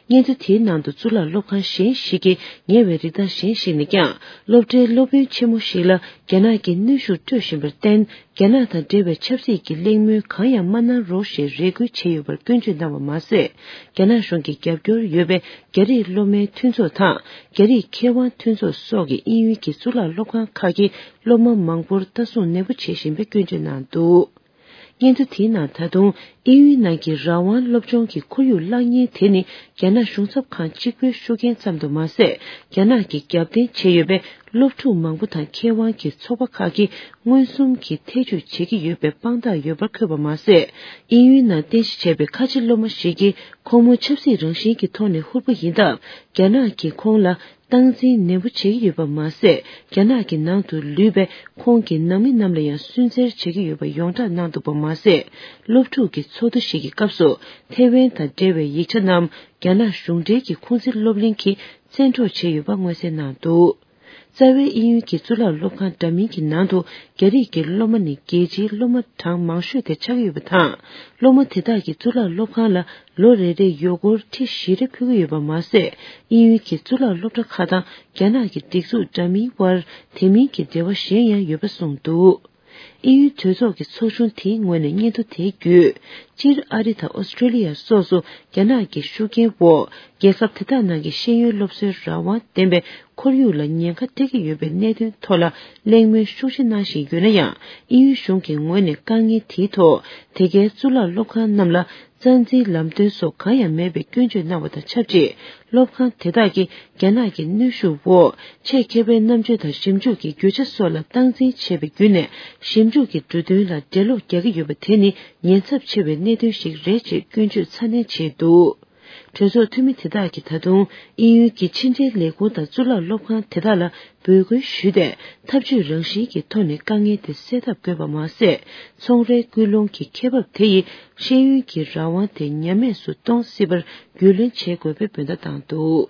སྙན་ཐོ་དེའི་ནང་དུ་གཙུག་ལག་སློབ་ཁང་གཞན་ཞིག་གི་ཉེ་བའི་རིགས་བདག་གཞན་ཞིག་ནས་ཀྱང་། སློབ་གྲྭའི་སློབ་དཔོན་ཆེན་མོ་ཞིག་ལ་རྒྱ་ནག་གིས་གནོན་ཤུགས་སྤྲོད་བཞིན་པར་བརྟེན། རྒྱ་ནག་དང་འབྲེལ་བའི་ཆབ་སྲིད་ཀྱི་གླེང་མོལ་གང་ཡང་མ་གནང་རོགས་ཞེས་རེ་སྐུལ་བྱས་ཡོད་པར་སྐྱོན་བརྗོད་གནང་བ་མ་ཟད། རྒྱ་ནག་གཞུང་གི་རྒྱབ་སྐྱོར་ཡོད་པའི་རྒྱ་རིགས་སློབ་མའི་མཐུན་ཚོགས་དང་། རྒྱ་རིགས་མཁས་དབང་མཐུན་ཚོགས་སོགས་ཀྱིས་དབྱིན་ཡུལ་གྱི་གཙུག་ལག་སློབ་ཁང་ཁག་གི་སློབ་མ་མང་པོར་ལྟ་སྲུང་ནན་པོ་བྱེད་བཞིན་པའི་སྐྱོན་བརྗོད་གནང་འདུག་སྙན་ཐོ་དེའི་ནང་ད་དུང་དབྱིན་ཡུལ་ནང་གི་རང་དབང་སློབ་སྦྱོང་གི་ཁོར་ཡུག་བརླག་ཉེན་དེ་ནི་རྒྱ་ནག་གཞུང་ཚབ་ཁང་གཅིག་པུའི་ཤུགས་རྐྱེན་ཙམ་དུ་མ་ཟད། རྒྱ་ནག་གིས་རྒྱབ་རྟེན་བྱས་ཡོད་པའི་སློབ་ཕྲུག་མང་པོ་དང་མཁས་དབང་གི་ཚོགས་པ་ཁག་གིས་མངོན་སུམ་གྱིས་ཐེ་བྱུས་བྱེད་ཀྱི་ཡོད་པའི་དཔང་རྟགས་ཡོད་པར་འཁོད་པ་མ་ཟད། དབྱིན་ཡུལ་ནང་རྟེན་གཞི་བྱས་པའི་ཁ་ཆེ་སློབ་མ་ཞིག་གིས་ཁོང་མོ་ཆབ་སྲིད་རང་བཞིན་གྱི་ཐོག་ནས་ཧུར་པོ་ཡིན་སྟབས། རྒྱ་ནག་གིས་ཁོང་ལ་སྟངས་འཛིན་ནན་པོ་བྱེད་ཀྱི་ཡོད་པ་མ་ཟད། རྒྱ་ནག་གི་ནང་དུ་ལུས་པའི་ཁོང་གི་ནང་མི་རྣམས་ལ་ཡང་སུན་གཙེར་བྱེད་ཀྱི་ཡོད་པ་ཡོངས་གྲགས་གནང་འདུག་པ་མ་ཟད། སློབ་ཕྲུག་གི་ཚོགས་འདུ་ཞིག་གི་སྐབས་སུ་ཐེ་ཝན་དང་འབྲེལ་བའི་ཡིག་ཆ་རྣམས་རྒྱ་ནག་གཞུང་འབྲེལ་གྱི་ཁུང་ཙི་སློབ་གླིང་གིས་བཙན་འཕྲོག་བྱས་ཡོད་པ་མངོན་གསལ་གནང་འདུག་རྩ་བའི་དབྱིན་ཡུལ་གྱི་གཙུག་ལག་སློབ་ཁང་འདྲ་མིན་གྱི་ནང་དུ་རྒྱ་རིགས་ཀྱི་སློབ་མ་ནི་རྒྱལ་སྤྱིའི་སློབ་མ་གྲངས་མང་ཤོས་དེ་ཆགས་ཀྱི་ཡོད་པ་དང་། སློབ་མ་དེ་དག་གིས་གཙུག་ལག་སློབ་ཁང་ལ་ལོ་རེ་རེར་ཡོ་སྒོར་ཁྲི་བཞི་རེ་ཕུལ་གྱི་ཡོད་པ་མ་ཟད། དབྱིན་ཡུལ་གྱི་གཙུག་ལག་སློབ་གྲྭ་ཁག་དང་རྒྱ་ནག་གི་སྒྲིག་འཛུགས་འདྲ་མིན་དབར་དེ་མིན་གྱི་འབྲེལ་བ་གཞན་ཡང་ཡོད་པ་གསུངས་འདུག་དབྱིན་ཡུལ་གྲོས་ཚོགས་ཀྱི་ཚོགས་ཆུང་དེའི་ངོས་ནས་སྙན་ཐོ་དེ་བརྒྱུད། སྤྱིར་ཨ་རི་དང་ཨོ་སི་ཀྲེ་ལི་ཡ་སོགས་སུ་རྒྱ་ནག་གི་ཤུགས་རྐྱེན་འོག་རྒྱལ་ཁབ་དེ་དག་ནང་གི་ཤེས་ཡོན་སློབ་གསོའི་རང་དབང་ལྡན་པའི་ཁོར་ཡུག་ལ་ཉེན་ཁ་སྤྲད་ཀྱི་ཡོད་པའི་གནད་དོན་ཐོག་ལ་གླེང་མོལ་ཤུགས་ཆེ་གནང་བཞིན་ཡོད་ན་ཡང་། དབྱིན་ཡུལ་གཞུང་གི་ངོས་ནས་དཀའ་ངལ་དེའི་ཐོག་དེ་གའི་གཙུག་ལག་སློབ་ཁང་རྣམས་ལ་རྩ་འཛིན་ལམ་སྟོན་སོགས་གང་ཡང་མེད་པའི་སྐྱོན་བརྗོད་གནང་བ་དང་ཆབས་ཅིག་སློབ་ཁང་དེ་དག་གིས་རྒྱ་ནག་གི་གནོན་ཤུགས་འོག་ཆེད་མཁས་པའི་རྣམ་དཔྱོད་དང་ཞིབ་འཇུག་གི་རྒྱུ་ཆ་སོགས་ལ་སྟངས་འཛིན་བྱས་པའི་བརྒྱུད་ནས་ཞིབ་འཇུག་གི་འབྲུ་དོན་ལ་འགྲེལ་ལོག་རྒྱག་གི་ཡོད་པ་དེ་ནི་ཉེན་ཚབས་ཆེ་བའི་གནད་དོན་ཞིག་རེད་ཅེས་སྐྱོན་བརྗོད་ཚ་ནན་བྱས་འདུག་གྲོས་ཚོགས་འཐུས་མི་དེ་དག་གིས་ད་དུང་དབྱིན་ཡུལ་གྱི་ཕྱི་འབྲེལ་ལས་ཁུངས་དང་གཙུག་ལག་སློབ་ཁང་དེ་དག་ལ་འབོད་སྐུལ་ཞུས་ཏེ། འཐབ་ཇུས་རང་བཞིན་གྱི་ཐོག་ནས་དཀའ་ངལ་དེ་སེལ་ཐབས་དགོས་པ་མ་ཟད། ཚོང་རའི་སྐུལ་སློང་གི་ཁེ་འབབ་དེ་ཡིས་ཤེས་ཡོན་གྱི་རང་དབང་དེ་ཉམས་དམས་སུ་གཏོང་སྲིད་པར་རྒྱུས་ལོན་བྱེད་དགོས་པའི་འབོད་བརྡ་བཏང་འདུག་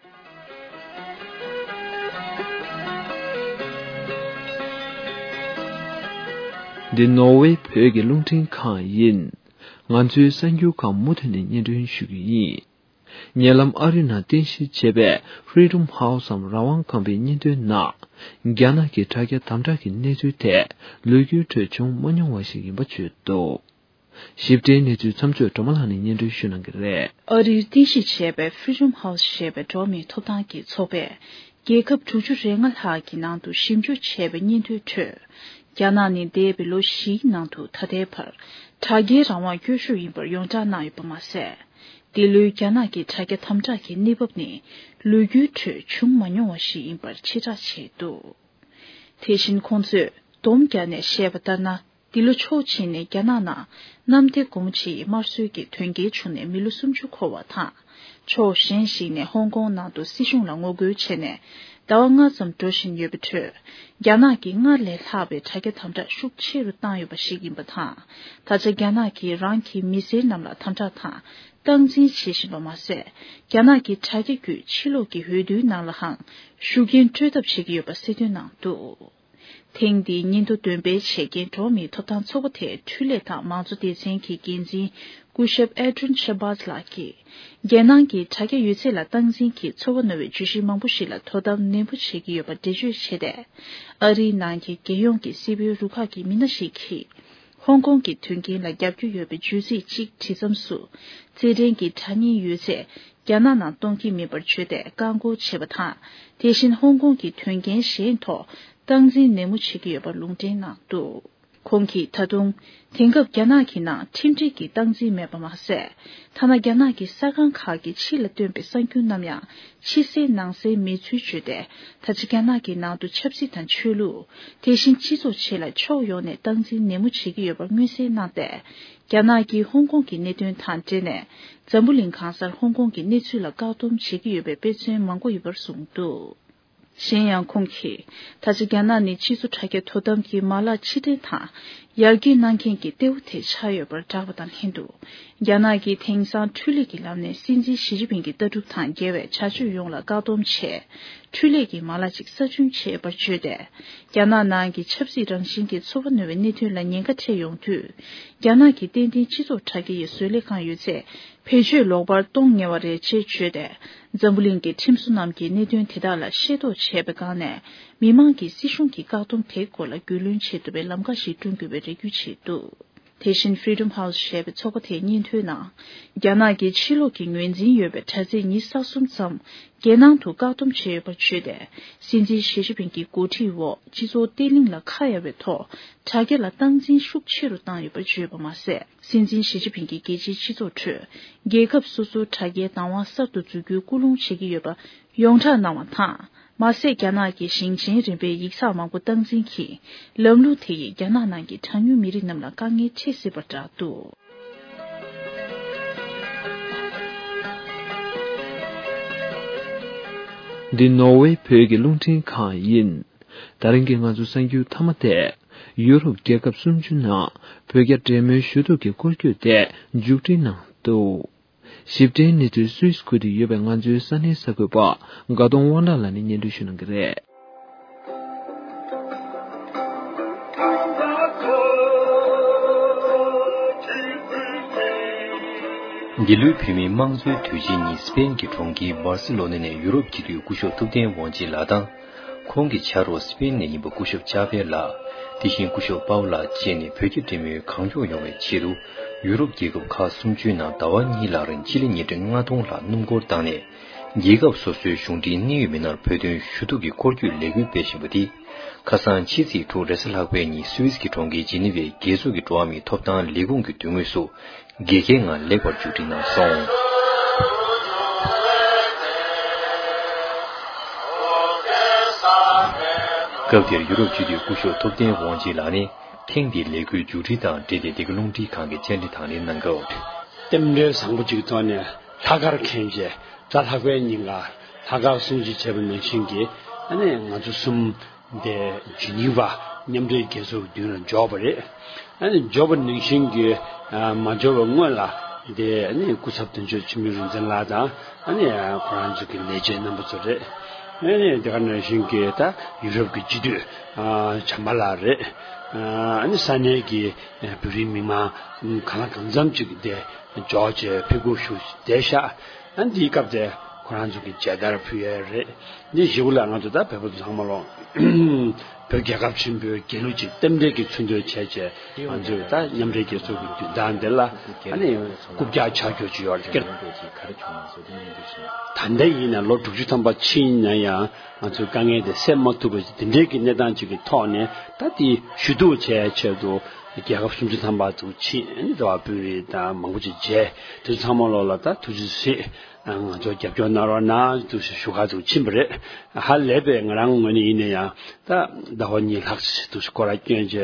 འདི་ནོར་ཝེ་བོད་ཀྱི་རླུང་འཕྲིན་ཁང་ཡིན། ང་ཚོའི་གསར་འགྱུར་ཁག་མུ་མཐུད་ནས་སྙན་སྒྲོན་ཞུ་གི་ཡིན། ཉེ་ལམ་ཨ་རི་ནང་རྟེན་གཞི་བྱས་པའི་Freedom House འམ་རང་དབང་ཁང་པའི་སྙན་ཐོའི་ནང་། རྒྱ་ནག་གི་དྲ་རྒྱ་དམ་དྲག་གི་གནས་ཚུལ་དེ་ལོ་རྒྱུས་ཁྲོད་བྱུང་མ་མྱོང་བ་ཞིག་ཡིན་པ་བརྗོད་འདུག་ཞིབ་ཕྲའི་གནས་ཚུལ་མཚམས་ཚོད་སྒྲོལ་མ་ལགས་ནས་སྙན་སྒྲོན་ཞུ་གནང་གི་རེད། ཨ་རིར་རྟེན་གཞི་བྱས་པའི་Freedom House ཞེས་པའི་འགྲོ་བ་མིའི་ཐོབ་ཐང་གི་ཚོགས་པས། རྒྱལ་ཁབ་དྲུག་ཅུ་རེ་ལྔ་ལྷག་གི་ནང་དུ་ཞིབ་འཇུག་བྱས་པའི་སྙན་ཐོའི་ཁྲོད། རྒྱ་ནག་ནི་འདས་པའི་ལོ་བཞིའི་ནང་དུ་ད་ལྟའི་བར་དྲ་རྒྱའི་རང་དབང་སྐྱོ་ཤོས་ཡིན་པར་ཡོངས་གྲགས་གནང་ཡོད་པ་མ་ཟད། འདི་ལོའི་རྒྱ་ནག་གི་དྲ་རྒྱ་དམ་དྲག་གི་གནས་བབ་ནི་ལོ་རྒྱུས་ཁྲོད་བྱུང་མ་མྱོང་བ་ཞིག་ཡིན་པར་ཕྱིར་བསྒྲགས་བྱས་འདུག་དེ་བཞིན་ཁོང་ཚོས་སྡོམ་བརྒྱབ་ནས་བཤད་པ་ལྟར་ན། འདི་ལོ་ཕྱོགས་གཅིག་ནས་རྒྱ་ནག་ནང་གནམ་བདེ་སྒོ་མོ་ཆེའི་དམར་གསོད་ཀྱི་དོན་རྐྱེན་བྱུང་ནས་མི་ལོ་སུམ་ཅུ་འཁོར་བ་དང་། ཕྱོགས་གཞན་ཞིག་ནས་ཧོང་ཀོང་ནང་དུ་སྲིད་གཞུང་ལ་ངོ་རྒོལ་བྱས་ནས་ཟླ་བ་ལྔ་ཙམ་འགྲོ་བཞིན་ཡོད་པའི་ཁྲོད། རྒྱ་ནག་གིས་སྔར་ལས་ལྷག་པའི་དྲ་རྒྱ་དམ་དྲག་ཤུགས་ཆེ་རུ་བཏང་ཡོད་པ་ཞིག་ཡིན་པ་དང་། ད་ཆ་རྒྱ་ནག་གིས་རང་གི་མི་སེར་རྣམས་ལ་དམ་དྲག་དང་སྟངས་འཛིན་བྱེད་བཞིན་པ་མ་ཟད། རྒྱ་ནག་གི་དྲ་རྒྱ་བརྒྱུད་ཕྱི་ལོགས་ཀྱི་འོས་བསྡུའི་ནང་ལའང་ཤུགས་རྐྱེན་སྤྲོད་ཐབས་བྱེད་ཀྱི་ཡོད་པ་གསལ་སྟོན་གནང་འདུག་ཐེངས་འདིའི་སྙན་ཐོ་འདོན་སྤེལ་བྱེད་མཁན་འགྲོ་བ་མིའི་ཐོབ་ཐང་ཚོགས་པ་དེའི་འཕྲུལ་ལས་དང་མང་གཙོ་སྡེ་ཚན་གྱི་འགན་འཛིན་སྐུ་ཞབས་ཨེ་ཏྲོན་ཤ་བཱས་ལགས་ཀྱིས། རྒྱལ་ནང་གི་དྲ་རྒྱ་ཡོད་ཚད་ལ་སྟངས་འཛིན་གྱིས་ཚོར་བ་རྣོ་བའི་བརྗོད་གཞི་མང་པོ་ཞིག་ལ་དོ་དམ་ནན་པོ་བྱེད་ཀྱི་ཡོད་པར་འགྲེལ་བརྗོད་བྱས་ཏེ། ཨ་རིའི་ནང་གི་རྒྱལ་ཡོངས་ཀྱི་སྲིད་དོན་རུ་ཁག་གི་མི་སྣ་ཞིག་གིས། ཧོང་ཀོང་གི་དོན་རྐྱེན་ལ་རྒྱབ་སྐྱོར་ཡོད་པའི་བརྗོད་ཚིག་ཅིག་བྲིས་མཚམས་སུ། རྩེད་འགྲན་གྱི་དྲ་བརྙན་ཡོད་ཚད་རྒྱ་ནག་ནང་གཏོང་གི་མིན་པར་བརྗོད་དེ་བཀག་འགོག་བྱས་པ་དང་། དེ་བཞིན་ཧོང་ཀོང་གི་དོན་རྐྱེན་གཞན་ཐོག་སྟངས་འཛིན་ནན་མོ་བྱེད་ཀྱི་ཡོད་པར་ལུང་འདྲེན་གནང་འདུག་ཁོང་གིས་ད་དུང་། དེང་སྐབས་རྒྱ་ནག་གི་ནང་ཁྲིམས་སྒྲིག་གི་སྟངས་འཛིན་མེད་པ་མ་ཟད། ཐ་ན་རྒྱ་ནག་གི་ས་ཁང་ཁག་གི་ཕྱི་ལ་བཏོན་པའི་གསར་འགྱུར་རྣམས་ཡང་ཕྱི་གསལ་ནང་གསལ་མེད་ཚུལ་བརྗོད་དེ། ད་ཆ་རྒྱ་ནག་གི་ནང་དུ་ཆབ་སྲིད་དང་ཆོས་ལུགས། དེ་བཞིན་སྤྱི་ཚོགས་ཆེད་ལ་ཕྱོགས་ཡོངས་ནས་སྟངས་འཛིན་ནན་མོ་བྱེད་ཀྱི་ཡོད་པར་མངོན་གསལ་གནང་སྟེ། རྒྱ་ནག་གིས་ཧོང་ཀོང་གི་གནད་དོན་དང་འབྲེལ་ནས། འཛམ་བུ་གླིང་གང་སར་ཧོང་ཀོང་གི་གནས་ཚུལ་ལ་བཀག་སྡོམ་བྱེད་ཀྱི་ཡོད་པའི་དཔེ་མཚོན་མང་པོ་ཡོད་པར་གསུངས་འདུག་གཞན་ཡང་ཁོང་གིས། ད་ཆ་རྒྱ་ནག་ནི་སྤྱི་ཚོགས་དྲ་རྒྱ་དོ་དམ་གྱི་མ་ལག་ཕྱིར་འཐེན་དང་། ཡར་རྒྱས་གནང་མཁན་གྱི་གཏེ་བོ་དེ་ཆགས་ཡོད་པར་བསྒྲགས་པ་དང་ལྷན་དུ། རྒྱ་ནག་གིས་དེང་སང་འཕྲུལ་ལས་ཀྱི་ལམ་ནས་སྲིད་འཛིན་ཞི་ཅིན་ཕིང་གི་ལྟ་གྲུབ་དང་འགལ་བའི་བྱ་སྤྱོད་ཡོངས་ལ་བཀག་སྡོམ་བྱས། འཕྲུལ་ལས་ཀྱི་མ་ལག་ཅིག་གསར་སྐྲུན་བྱས་པར་བརྗོད་དེ། རྒྱ་ནག་ནང་གི་ཆབ་སྲིད་རང་བཞིན་གྱི་ཚོར་བ་རྣོ་བའི་གནད་དོན་ལ་ཉེན་ཁ་འཕྲད་ཡོང་དུས། རྒྱ་ནག་གིས་ཏན་ཏན་སྤྱི་ཚོགས་དྲ་རྒྱ་ཡི་བཟོ་ལས་ཁང་ཡོད་ཚད། བེད་སྤྱོད་ལོག་པར་གཏོང་ཉེ་བ་རེད་ཅེས་བརྗོད་དེ། འཛམ་བུ་གླིང་གི་ཁྲིམས་བཟོ་རྣམས་ཀྱིས་གནད་དོན་དེ་དག་ལ་ཤེས་རྟོགས་བྱས་པའི་སྒང་ནས། མི་མང་གིས་སྲིད་གཞུང་གི་བཀག་སྡོམ་དེའི་སྐོར་ལ་རྒྱུས་ལོན་བྱེད་ཐུབ་པའི་ལམ་ཁ་ཞིག་བསྐྲུན་དགོས་པའི་རེ་སྐུལ་བྱས་འདུག་དེ་བཞིན་Freedom House ཞེས་པའི་ཚོགས་པ་དེའི་སྙན་ཐོའི་ནང་། རྒྱ་ནག་གིས་ཕྱི་ལོགས་ཀྱི་ངོས་འཛིན་ཡོད་པའི་དྲ་ཚིགས་ཉི་ཤུ་རྩ་གསུམ་ཙམ་རྒྱལ་ནང་དུ་བཀག་སྡོམ་བྱས་ཡོད་པར་བརྗོད་དེ། སྲིད་འཛིན་ཞི་ཅིན་ཕིང་གི་འགོ་ཁྲིད་འོག་སྤྱི་ཚོགས་བརྟན་ལྷིང་ལ་ཁ་གཡར་བའི་ཐོག་དྲ་རྒྱ་ལ་སྟངས་འཛིན་ཤུགས་ཆེ་རུ་བཏང་ཡོད་པར་བརྗོད་པ་མ་ཟད། སྲིད་འཛིན་ཞི་ཅིན་ཕིང་གིས་རྒྱལ་སྤྱིའི་སྤྱི་ཚོགས་ཁྲོད་རྒྱལ་ཁབ་སོ་སོའི་དྲ་རྒྱའི་བདག་དབང་གསར་དུ་འཛུགས་རྒྱུའི་སྐུལ་སློང་བྱེད་ཀྱི་ཡོད་པ་ཡོངས་གྲགས་གནང་བ་དང་། མ་ཟད། རྒྱ་ནག་གི་ཞིང་ཆེན་རིམ་པའི་ཡིག་ཚགས་མང་པོ་སྟངས་འཛིན་གྱིས། ལམ་ལུགས་དེ་ཡིས་རྒྱ་ནག་ནང་གི་གྲངས་ཉུང་མི་རིགས་རྣམས་ལ་དཀའ་ངལ་འཕྲད་སྲིད་པར་བསྒྲགས་འདུག་འདི་ནོར་ཝེ་བོད་ཀྱི་རླུང་འཕྲིན་ཁང་ཡིན། ད་རིང་གི་ང་ཚོའི་གསར་འགྱུར་མཐའ་མ་དེ། ཡུ་རོབ་རྒྱལ་ཁབ་སུམ་ཅུ་ནང་བོད་རྒྱ་འབྲེལ་མོལ་ཞུ་གཏུག་གི་སྐོར་སྐྱོད་དེ་མཇུག་སྒྲིལ་གནང་འདུག་ཞིབ་ཕྲའི་གནས་ཚུལ་སུད་སི་ཁུལ་དུ་ཡོད་པའི་ང་ཚོའི་ས་གནས་གསར་འགོད་པ་དགའ་གདོང་དབང་གྲགས་ལགས་ནས་སྙན་སྒྲོན་ཞུ་གནང་གི་རེད། འདི་ལོའི་བོད་མིའི་དམངས་གཙོའི་དུས་ཆེན་ཉིན་སི་པེན་གྱི་གྲོང་ཁྱེར་སྦར་སི་ལོ་ན་ནས་ཡུ་རོབ་སྤྱི་འཐུས་སྐུ་ཞབས་ཐུབ་བསྟན་དབང་ཆེན་ལགས་དང་། ཁོང་གི་ཕྱག་རོགས་སི་པེན་ནས་ཡིན་པ་སྐུ་ཞབས་ཅཱ་པེ་ལགས། དེ་བཞིན་སྐུ་ཞབས་པའོ་ལགས་བཅས་ནས་བོད་རྒྱ་འབྲེལ་མོལ་གང་མགྱོགས་ཡོང་བའི་ཆེད་དུ། ཡུ་རོབ་རྒྱལ་ཁབ་ཁག་སུམ་ཅུའི་ནང་ཟླ་བ་གཉིས་ལྷག་རིང་སྤྱི་ལེ་ཉིས་ཁྲི་ལྔ་སྟོང་ལྷག་སྣུམ་འཁོར་བཏང་ནས། རྒྱལ་ཁབ་སོ་སོའི་གཞུང་འབྲེལ་གནད་ཡོད་མི་སྣར་བོད་དོན་ཞུ་གཏུག་གི་སྐོར་སྐྱོད་ལས་འགུལ་སྤེལ་བཞིན་པ་འདི། ཁ་སང་ཕྱི་ཚེས་དྲུག་རེས་གཟའ་ལྷག་པའི་ཉིན་སུད་སི་གི་གྲོང་ཁྱེར་ཇི་ནི་ཝའི་རྒྱལ་ཚོགས་ཀྱི་འགྲོ་བ་མིའི་ཐོབ་ཐང་ལས་ཁུངས་ཀྱི་མདུན་ངོས་སུ། དགེ་རྒན་ངང་ལེགས་པར་མཇུག་སྒྲིལ་གནང་སོང་། སྐབས་དེར་ཡུ་རོབ་སྤྱི་འཐུས་སྐུ་ཞབས་ཐུབ་བསྟན་དབང་ཆེན་ལགས་ནས་ཐེངས་འདིའི་ལས་འགུལ་མཇུག་སྒྲིལ་དང་འབྲེལ་ཏེ་འདི་ག་རླུང་འཕྲིན་ཁང་གི་བཅར་འདྲི་དང་ལེན་གནང་སྐབས། རྟེན་འབྲེལ་བཟང་པོ་ཅིག་ཐོག་ནས་ལྷག་དཀར་མཁན་བཅས་གཟའ་ལྷག་པའི་ཉིན་ཀ་ལྷག་དཀར་སྲུང་བརྩི་བྱས་པ་ནང་བཞིན་གྱི་ཨ་ནི་ང་ཚོ་གསུམ། དེ་ཇི་ནི་ཝ་མཉམ་འབྲེལ་རྒྱལ་ཚོགས་ཀྱི་མདུན་ལ་འབྱོར་བ་རེད། ཨ་ནི་འབྱོར་བ་ནང་བཞིན་གྱི་ཨ་མ་འབྱོར་བའི་སྔོན་ལ་དེ་ཨ་ནི་སྐུ་ཚབ་དོན་གཅོད་འཆི་མེད་རིག་འཛིན་ལགས་དང་ཨ་ནི་ཁོ་རང་ཚོ་གི་ལས་བྱེད་རྣམ་པ་ཚོ་རེད། ཨ་ནི་དེ་ག་ནང་བཞིན་གྱི་ད་ཡུ་རོབ་ཀྱི་སྤྱི་འཐུས་ཨ་བྱམས་པ་ལགས་རེད། ཨ་ནི་ས་གནས་ཀྱི་བོད་རིགས་མི་མང་གང་ལ་གང་འཚམ་ཅིག་དེ་འབྱོར་བྱས་ཕེབས་སྒུག་ཞུ་བསྡད་ཤག་ཨ་འདིའི་སྐབས་དེ་ཁོ་རང་ཚོ་གི་མཇལ་དར་ཕུལ་ཡས་རེད། འདི་ཞུ་ལ་ང་ཚོ་ད་བོད་པ་ཚོ་ཚང་མ་ལོ། བོད་རྒྱལ་ཁབ་ཆེན་པོའི་རྒྱལ་གླུ་ཅིག་རྟེན་འབྲེལ་གྱི་ཚུལ་དུ་བྱས་བྱས་ང་ཚོས་ད་མཉམ་འབྲེལ་རྒྱལ་ཚོགས་ཀྱི་བདུན་ཐང་འདི་ལ་ཨ་ནི་རྐུབ་བཀྱག་ཆག་རྒྱུ་ཅིག་ཡོད་རེད། ད་ལྟ་ཡིན་ན་ལོ་དྲུག་ཅུ་ཐམ་པ་ཕྱིན་ན་ཡང་ང་ཚོའི་དཀའ་ངལ་དེ་སེལ་མ་ཐུབ་པ་ཅིག་འདི་འདྲའི་གི་གནས་སྟངས་ཅིག་གི་ཐོག་ནས་ད་དེ་ཞུ་གཏུག་བྱས་ཆེད་དུ་རྒྱལ་ཁབ་སུམ་ཅུ་ཐམ་པ་ཚོ་ཕྱིན་ཨ་ནི་འགྲོ་བ་དཔོན་རིགས་དང་མང་པོ་ཅིག་མཇལ། དེ་ཚོ་ཚང་མ་ལོ་ལ་ད་ཐུགས་རྗེ་ཆེ། ང་ཚོ་རྒྱབ་སྐྱོར་གནང་རོགས་གནང་འདུག་ཞུ་ག་འདུག་ཕྱིན་པ་རེད། ཧ་ལས་པའི་ང་རང་ངོས་ནས་ཡིན་ན་ཡང་ད་ཟླ་བ་གཉིས་ལྷག་ཙམ་འདུག་སྐོར་ར་བསྐྱོན་བྱས་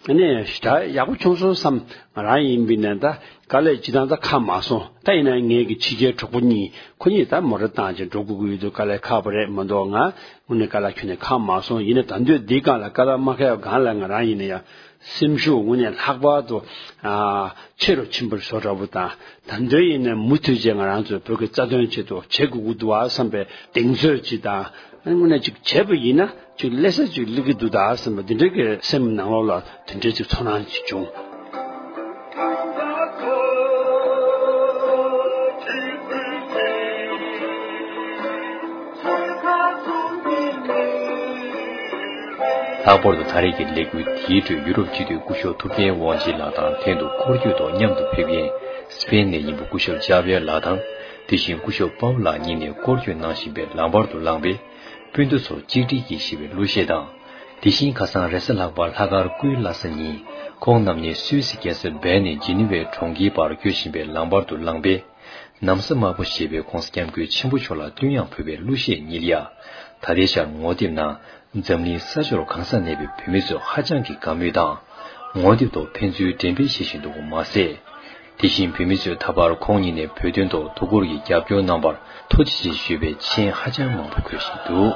ཨ་ནི་ཞེ་དྲག་ཡག་པོ་བྱུང་སོང་བསམ། ང་རང་ཡིན་པ་ཡིན་ན་ད་དཀའ་ལས་ཅི་ཐང་ད་ཁག་མ་སོང་། ད་ཡིན་ན་ངའི་གི་ཕྱི་རྒྱལ་གྲོགས་པོ་གཉིས་ཁོ་གཉིས་ད་མོ་ཊ་བཏང་བྱས་འགྲོ་དགོས་ཀྱི་ཡོད་འདུག་དཀའ་ལས་ཁག་པོ་རེད་མ་གཏོགས་ང་དངོས་གནས་དཀའ་ལས་ཁྱོན་ནས་ཁག་མ་སོང་། ཡིན་ན་ད་འདོད་འདི་སྒང་ལ་དཀའ་ལས་མ་ཁག་སྒང་ལ་ང་རང་ཡིན་ན་ཡང་། སེམས་ཤུགས་དངོས་གནས་ལྷག་པར་དུ་ཨ་ཆེ་རུ་ཕྱིན་པར་བཟོ་འདྲ་པོ་དང་། ད་འདོད་ཡིན་ན་མུ་མཐུད་བྱས་ང་རང་ཚོའི་བོད་ཀྱི་རྩ་དོན་ཆེད་དུ་བྱེད་དགོས་ཀྱི་འདུག་བ་བསམ་པའི་གདེང་ཚོད་ཅིག་དང་ ཨ་ནི་དངོས་གནས་ཅིག་བྱས་པ་ཡིན་ན་ཅིག་སླེབས་ས་ཅིག་སླེབས་ཀྱི་འདུག་ད་བསམ་པ་འདི་འདྲའི་གི་སེམས་ནང་ལོགས་ལ་དེ་འདྲའི་ཅིག་ཚོར་སྣང་ཅིག་བྱུང་། ལྷག་པར་དུ་ད་རེས་ཀྱི་ལས་འགུལ་དེའི་ཁྲོད་ཡུ་རོབ་སྤྱི་འཐུས་སྐུ་ཞབས་ཐུབ་བསྟན་དབང་ཆེན་ལགས་དང་ལྷན་དུ་སྐོར་སྐྱོད་ཐོག་མཉམ་དུ་ཕེབས་མཁན་སི་པེན་ནས་ཡིན་པ་སྐུ་ཞབས་ཅཱ་བེར་ལགས་དང་། དེ་བཞིན་སྐུ་ཞབས་པའོ་ལགས་གཉིས་ནས་སྐོར་སྐྱོད་གནང་བཞིན་པའི་ལམ་བར་དུ་ལངས་པའི་སྤུན་ཟླ་ཚོ་གཅིག་སྒྲིལ་གྱིས་ཞེས་པའི་གླུ་གཞས་དང་། དེ་བཞིན་ཁ་སང་རེས་གཟའ་ལྷག་པ་ལྷག་དཀར་སྐུའི་བླ་གཟའ་ཉིན་ཁོང་རྣམ་གཉིས་སུད་སི་རྒྱལ་ས་བྷན་ནས་ཇི་ནི་ཝའི་གྲོང་ཁྱེར་བར་སྐྱོད་བཞིན་པའི་ལམ་བར་དུ་ལངས་པའི། ན་བཟའ་དམར་པོ་ཞེས་པའི་༧གོང་ས་༧སྐྱབས་མགོན་ཆེན་པོ་མཆོག་ལ་བསྟོད་དབྱངས་ཕུལ་བའི་གླུ་གཞས་ཉིད་ལ་ཡ། ད་ལྟའི་ཆར་ངོ་དེབ་ནང་འཛམ་གླིང་ས་ཕྱོགས་གང་སར་གནས་པའི་བོད་མི་ཚོས་ཧ་ཅང་གི་དགའ་མོས་དང་། ངོ་དེབ་ཐོག་ཕན་ཚུན་འགྲེམས་སྤེལ་བྱེད་བཞིན་འདུག་པ་མ་ཟད། དེ་བཞིན་བོད་མི་ཚོས་ད་བར་ཁོང་ཉིད་ནས་བོད་དོན་ཐོག་ཐུགས་ཁུར་གྱིས་རྒྱབ་སྐྱོར་གནང་བར་ཐུགས་རྗེ་ཆེ་ཞུས་པའི་མཆན་ཧ་ཅང་མང་པོ་འཁོད་བཞིན་འདུག།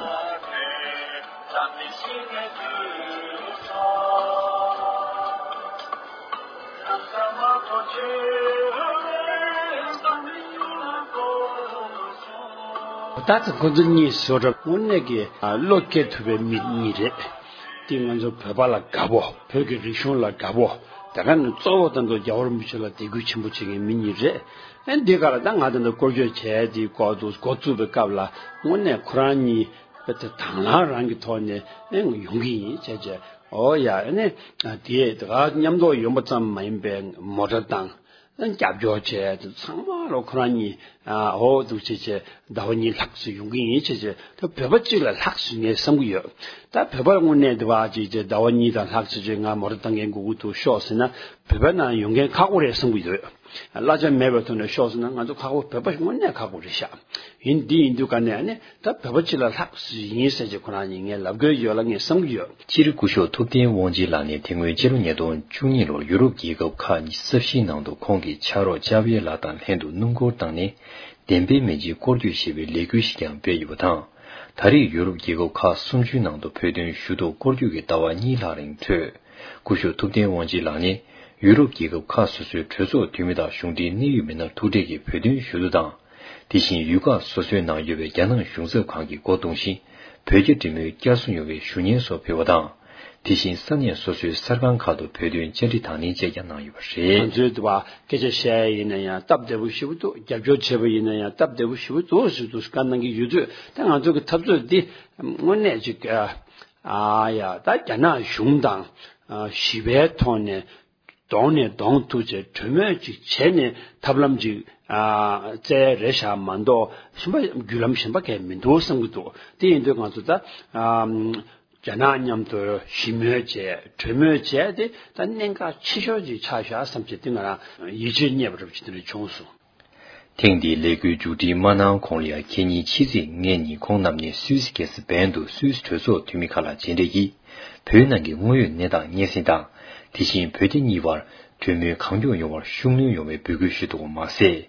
ད་ལྟ་ཁོ་ཚོ་གཉིས་བཟོ་འདྲ་དངོས་གནས་ཀྱི་བློ་སྐྱེད་ཐུབ་པའི་མི་གཉིས་རེད། དེ་ང་ཚོ་བོད་པ་ལ་དགའ་པོ། བོད་ཀྱི་རིག་གཞུང་ལ་དགའ་པོ། དེ་ག་ནས་གཙོ་བོ་ད་ལྟ་རྒྱལ་བ་རིན་པོ་ཆེ་ལ་དད་གུས་ཆེན་པོ་བྱེད་མཁན་མི་གཉིས་རེད། ཨ་འདི་ག་ལ་ད་ང་ད་ལྟ་སྐོར་སྐྱོད་བྱས་དེ་འགོ་འཛུགས་འགོ་བཙུགས་པའི་སྐབས་ལ་དངོས་གནས་ཁོ་རང་གཉིས་དེ་དང་བླངས་རང་གི་ཐོག་ནས་ཨེ་ཡོང་གི་ཡིན་བྱས་བྱས། ཨོ་ཡ། ཨ་ནི་དེ་དེ་ག་མཉམ་དུ་ཡོང་པ་ཙམ་མ་ཡིན་པའི་མོ་ཊ་དང་། རྒྱབ་སྐྱོར་བྱས་དེ་ཚང་མ་ལོ་ཁོ་རང་གཉིས་ཨོ་འདུག་བྱས་བྱས་ཟླ་བ་གཉིས་ལྷག་ཙམ་ཡོང་གི་ཡིན་བྱས་བྱས། ད་བོད་པ་གཅིག་ལ་ལྷག་ཙམ་ངས་བསམ་གྱི་ཡོད། ད་བོད་པ་དངོས་གནས་དེ་བ་ཅིག་བྱས་ཟླ་བ་གཉིས་དང་ལྷག་ཙམ་བྱས་ང་མོ་ཊ་བཏང་མཁན་དགོས་ཀྱི་འདུག་ཤོག་ཟེར་ན་བོད་པ་ནང་ཡོང་མཁན་ཁག་པོ་རེད་བསམ་གྱི་ཡོད། གླ་ཆ་མེད་པའི་ཐོག་ནས་ཤོག་ཟེར་ན་ང་ཚོ་ཁག་པོ། བོད་པ་དངོས་གནས་ཁག་པོ་རེད་ཤག། ཡིན་འདི་ཡིན་དུས་ག་ནས་ཨ་ནི་ད་བོད་པ་སྤྱི་ལ་ལྷག་ཙམ་ཡིན་ཟེར་གྱི་ཁོ་རང་ཉིད་ངས་ལབ་དགོས་ཡོད་ལ་ངས་བསམ་གྱི་ཡོད། སྤྱིར་སྐུ་ཞབས་ཐུབ་བསྟན་དབང་ཆེན་ལགས་ནི་དེ་སྔོན་ཕྱི་ལོ་ཉིས་སྟོང་བཅུ་གཉིས་ལོར་ཡུ་རོབ་རྒྱལ་ཁབ་ཁག་གཉིས་ས་ཕྱིའི་ནང་དུ་ཁོང་གི་ཕྱག་རོགས་ཅཱ་བེ་ལགས་དང་ལྷན་དུ་སྣུམ་འཁོར་བཏང་ནས་བདེན་པའི་མེ་ལྕེ་སྐོར་སྐྱོད་ཞེས་པའི་ལས་འགུལ་ཞིག་ཀྱང་སྤེལ་ཡོད་པ་དང་། ད་རེས་ཡུ་རོབ་རྒྱལ་ཁབ་ཁག་སུམ་ཅུའི་ནང་དུ་བོད་དོན་ཞུ་གཏུག་སྐོར་སྐྱོད་ཀྱི་ཟླ་བ་གཉིས་ལྷག་རིང་གྲོལ། སྐུ་ཞབས་ཐུབ་བསྟན་དབང་ཆེན་ལགས་ནི་ཡུ་རོབ་རྒྱལ་ཁབ་ཁག་སོ་སོའི་གྲོས་ཚོགས་འཐུས་མི་དང་གཞུང་འབྲེལ་གནད་ཡོད་མི་སྣར་ཐུག་འཕྲད་ཀྱིས་བོད་དོན་ཞུ་གཏུག་དང་། དེ་བཞིན་ཡུལ་ཁག་སོ་སོའི་ནང་ཡོད་པའི་རྒྱ་ནག་གཞུང་ཚབ་ཁང་གི་སྒོ་རྡུང་བཞིན་བོད་རྒྱ་འབྲེལ་མོལ་བསྐྱར་གསོ་ཡོང་བའི་ཞུ་སྙན་སོགས་ཕུལ་བ་དང་། དེ་བཞིན་ས་གནས་སོ་སོའི་གསར་ཁང་ཁག་ཏུ་བོད་དོན་བཅར་འདྲི་དང་ལེན་བཅས་ཀྱང་གནང་ཡོད་པ་རེད། ང་ཚོའི་འདི་བ་སྐད་ཆ་བཤད་ཡ་ཡིན་ན་ཡང་སྟབས་བདེ་པོ་ཞེ་པོ་འདུག། རྒྱབ་སྐྱོར་བྱས་པ་ཡིན་ན་ཡང་སྟབས་བདེ་པོ་ཞེ་པོ་འདུག་ཟེར་དུས་བཀའ་གནང་གི་ཡོད་དུས། ད་ང་ཚོ་གི་འཐབ་རྩོད་འདི་དངོས་གནས་ཅིག་ཨ་ཡ་ད་རྒྱ་ནག་གཞུང་དང་ཞི་བའི་ཐོག་ནས་གདོང་ནས་གདོང་ཐུག་བྱས་གྲོས་མོལ་ཅིག་བྱས་ནས་ཐབས་ལམ་ཅིག་ཨ་བཙལ་རེད་ཤག་མ་གཏོགས་གཞན་པ་བརྒྱུད་ལམ་གཞན་པ་གང་མི་འདུག་བསམ་གྱི་འདུག། དེ་ཡིན་དུས་ང་ཚོ་ད་ཨ་རྒྱ་ནག་མཉམ་དུ་ཞི་མོལ་བྱས་གྲོས་མོལ་བྱས་ཏེ་ད་གནད་འགག་ཆེ་ཤོས་ཅིག་ཆགས་ཤག་བསམ་བྱས་དེ་ང་རང་ཡིད་ཆེས་རྙེད་པ་འདྲ་པོ་ཅིག་དེ་འདྲ་བྱུང་སོང་། ཐེངས་འདིའི་ལས་འགུལ་མཇུག་སྒྲིལ་མ་གནང་གོང་ལ་ཡང་ཁེ་ཉིན་ཕྱི་ཚེས་ལྔ་ཉིན་ཁོང་རྣམ་གཉིས་སུད་སི་རྒྱལ་ས་བན་དུ་སུད་སི་གྲོས་ཚོགས་འཐུས་མི་ཁག་ལ་མཇལ་འཕྲད་ཀྱིས་བོད་ནང་གི་དངོས་ཡོད་གནས་སྟངས་སྙན་སེང་དང་། དེ་བཞིན་བོད་རྒྱ་གཉིས་བར་གྲོས་མོལ་གང་མགྱོགས་ཡོང་བར་ཤུགས་སྣོན་ཡོང་བའི་འབོད་སྐུལ་ཞུས་འདུག་པ་མ་ཟད།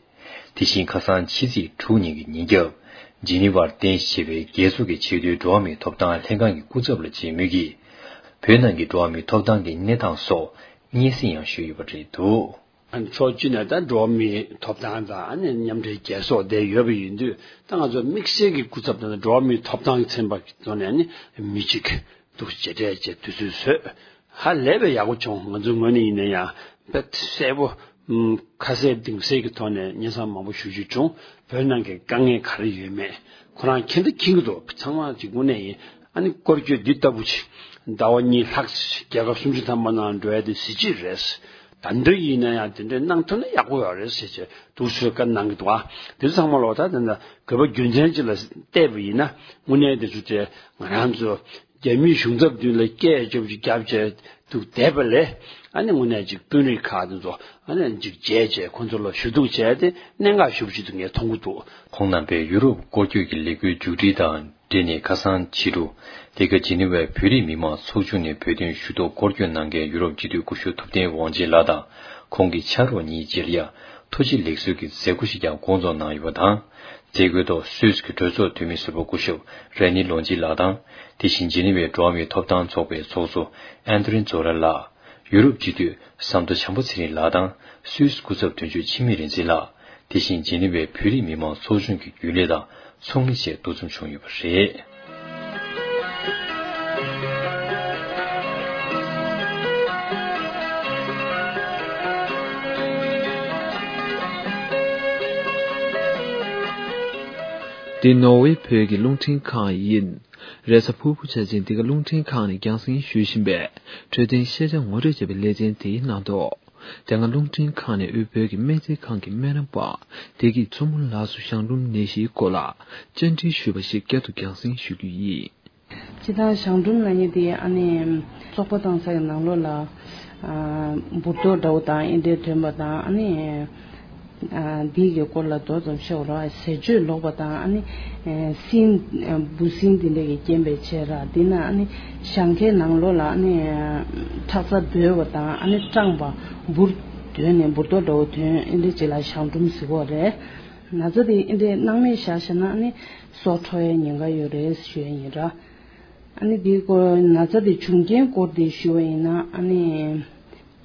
དེ་བཞིན་ཁ་སང་ཕྱི་ཚེས་དྲུག་ཉིན་གྱི་ཉིན་རྒྱབ་ཇི་ནི་ཝར་རྟེན་གཞི་བྱས་པའི་རྒྱལ་ཚོགས་ཀྱི་ཆེས་མཐོའི་འགྲོ་བ་མིའི་ཐོབ་ཐང་ལྷན་ཁང་གི་སྐུ་ཚབ་ལ་མཇལ་མུས་ཀྱིས་བོད་ནང་གི་འགྲོ་བ་མིའི་ཐོབ་ཐང་གི་གནས་སྟངས་སོགས་སྙན་སེང་ཡང་ཞུས་ཡོད་པ་རེད་འདུག། ཕྱོགས་གཅིག་ནས་ད་འགྲོ་བ་མིའི་ཐོབ་ཐང་དང་ཨ་ནི་མཉམ་འབྲེལ་རྒྱལ་ཚོགས་དེ་ཡོད་པ་ཡིན་དུས། ད་ང་ཚོ་དམིགས་བསལ་གྱི་སྐུ་ཚབ་དང་འགྲོ་བ་མིའི་ཐོབ་ཐང་གི་ཚན་པ་གི་ཐོག་ནས་ཨ་ནི་མི་གཅིག་འདུག་མཇལ་འཕྲད་བྱས་དུས་ཚོད་བཟོས། ཧ་ལས་པའི་ཡག་པོ་བྱུང་། ང་ཚོའི་ངོས་ནས་ཡིན་ན་ཡང་དཔེ་གསལ་པོ་ཁ་གསལ་གཏིང་གསལ་གྱི་ཐོག་ནས་སྙན་སེང་མང་པོ་ཞུ་རྒྱུ་བྱུང་། བོད་ནང་གི་དཀའ་ངལ་ག་རེ་ཡོད་མེད་ཁོ་རང་མཁྱེན་ད་མཁྱེན་གྱི་འདུག། ཚང་མ་གཅིག་དངོས་གནས་ཡིན། ཨ་ནི་སྐོར་སྐྱོད་འདི་ལྟ་བུ་ཅིག་ཟླ་བ་གཉིས་ལྷག་ཅིག་རྒྱལ་ཁབ་སུམ་ཅུ་ཐམ་པ་ནང་འགྲོ་ཡ་དེ་གཟི་བརྗིད་རེད། ད་འདི་ཡིན་ན་ཡང་དེ་འདྲའི་གནང་ཐུབ་ན་ཡག་པོ་ཡོད་རེད་ཟེར་བྱས་འདུག་སེ་བཀའ་གནང་གི་འདུག། ཨ་དེ་ཚོ་ཚང་མ་ལོག་ད་དེ་འདྲ་དགོས་པ་རྒྱུ་མཚན་ཅིག་ལ་བལྟས་པ་ཡིན་ན་དངོས་གནས་དེ་ཚོ་དེ་ང་རང་ཚོ་རྒྱ་མིའི་གཞུང་ཚབ་མདུན་ལ་སྐད་ཅོབ་ཅིག་བརྒྱབ་བྱས་འདུག་བསྡད་པ་ལས། ཨ་ནི་དངོས་གནས་ཅིག་དཔོན་རིགས་ཁག་དེ་ཚོ་ཨ་ནི་ཅིག་མཇལ་བྱས་ཁོང་ཚོ་ལ་ཞུ་གཏུག་བྱས་ཏེ་གནད་འགག་ཞེ་པོ་ཅིག་ཏུ་ངས་མཐོང་གི་འདུག། ཁོང་རྣམ་པས་ཡུ་རོབ་སྐོར་སྐྱོད་ཀྱི་ལས་འགུལ་མཇུག་སྒྲིལ་དང་འབྲེལ་ནས་ཁ་སང་ཕྱི་དྲོ་དེ་ག་ཇི་ནི་ཝའི་བོད་རིགས་མི་མང་ཚོགས་ཆུང་ནས་བོད་དོན་ཞུ་གཏུག་སྐོར་སྐྱོད་གནང་མཁན་ཡུ་རོབ་སྤྱི་འཐུས་སྐུ་ཞབས་ཐུབ་བསྟན་དབང་ཆེན་ལགས་དང་ཁོང་གི་ཕྱག་རོགས་གཉིས་བཅས་ལ་ཡ་ཐུགས་རྗེ་ལེགས་གསོལ་གྱི་མཛད་སྒོ་ཞིག་ཀྱང་སྐོང་ཚོགས་གནང་ཡོད་པ་དང་། མཛད་སྒོའི་ཐོག་སུད་སི་གི་གྲོས་ཚོགས་འཐུས་མི་ཟུར་པ་སྐུ་ཞབས་རེ་ནི་ལོ་ཇི་ལགས་དང་། དེ་བཞིན་ཇི་ནི་ཝའི་འགྲོ་བ་མིའི་ཐོབ་ཐང་ཚོགས་པའི་ཚོགས་གཙོ་ཨན་དྲིན་ཛོ་ར་ལགས། ཡུ་རོབ་སྤྱི་འཐུས་ཟམ་གདོང་བྱམས་པ་ཚེ་རིང་ལགས་དང་སུད་སི་སྐུ་ཚབ་དོན་གཅོད་འཆི་མེད་རིག་འཛིན་ལགས། དེ་བཞིན་ཇི་ནི་ཝའི་བོད་རིགས་མི་མང་ཚོགས་ཆུང་གི་རྒྱུན་ལས་དང་ཚོགས་མི་བཅས་འདུ་འཛོམས་བྱུང་ཡོད་པ་རེད། འདི་ནོར་ཝེ་བོད་ཀྱི་རླུང་འཕྲིན་ཁང་ཡིན། རེས་གཟའ་ཕུར་བུ་ཆ་ཅན་འདི་ག་རླུང་འཕྲིན་ཁང་ནས་རྒྱང་སྲིང་ཞུ་བཞིན་པའི་འཕྲོད་བསྟེན་ཤེས་བྱ་ངོ་སྤྲོད་བྱས་པའི་ལེ་ཚན་དེའི་ནང་དུ། དེ་སྔ་རླུང་འཕྲིན་ཁང་ནས་དབུས་བོད་ཀྱི་སྨན་རྩིས་ཁང་གི་སྨན་རམས་པ་བདེ་སྐྱིད་མཚོ་མོ་ལགས་སུ་གཞང་འབྲུམ་ནད་གཞིའི་སྐོར་ལ་བཅར་འདྲི་ཞུས་པ་ཞིག་བསྐྱར་དུ་རྒྱང་སྲིང་ཞུ་རྒྱུ་ཡིན། སྤྱིར་བཏང་གཞང་འབྲུམ་ལབ་མཁན་དེ་ཨ་ནི་བཙོག་པ་བཏང་ས་ཡི་ནང་ལོགས་ལ་ཨ་འབུར་ཏོག་འདྲ་བོ་དང་ཨེ་འདྲའི་ཐོན་པ་དང་ཨ་ནི་ཨ་འདི་གི་སྐོར་ལ་མདོ་ཙམ་བཤད་དགོས་རེད། ཟས་སྤྱོད་ལོག་པ་དང་ཨ་ནི་ཨ་སྲིན་ཨ་འབུ་སྲིན་འདི་འདྲ་གི་རྐྱེན་པས་བྱས་ར། འདི་ན་ཨ་ནི་གཞང་ཁའི་ནང་ལོགས་ལ་ཨ་ནི་ཁྲག་རྩ་རྡོལ་བ་དང་ཨ་ནི་སྐྲངས་པ་འབུར་རྡོལ་ནས་འབུར་ཏོག་འདྲ་བོ་ཐོན་ཨེ་འདྲ་ཅིག་ལ་གཞང་འབྲུམ་ཟེར་གྱི་ཡོད་རེད། ན་ཚ་དེ་ཨེ་འདྲའི་སྣང་མེད་བཞག་བཞག་ན་ཨ་ནི་སྲོག་འཕྲོག་ཡའི་ཉེན་ཁ་ཡོད་རེད་ཞུ་ཡ་ཡིན་ར། ཨ་ནི་དེའི་སྐོར་ན་ཚ་དེ་བྱུང་རྐྱེན་སྐོར་དེ་ཞུ་བ་ཡིན་ན་ཨ་ནི་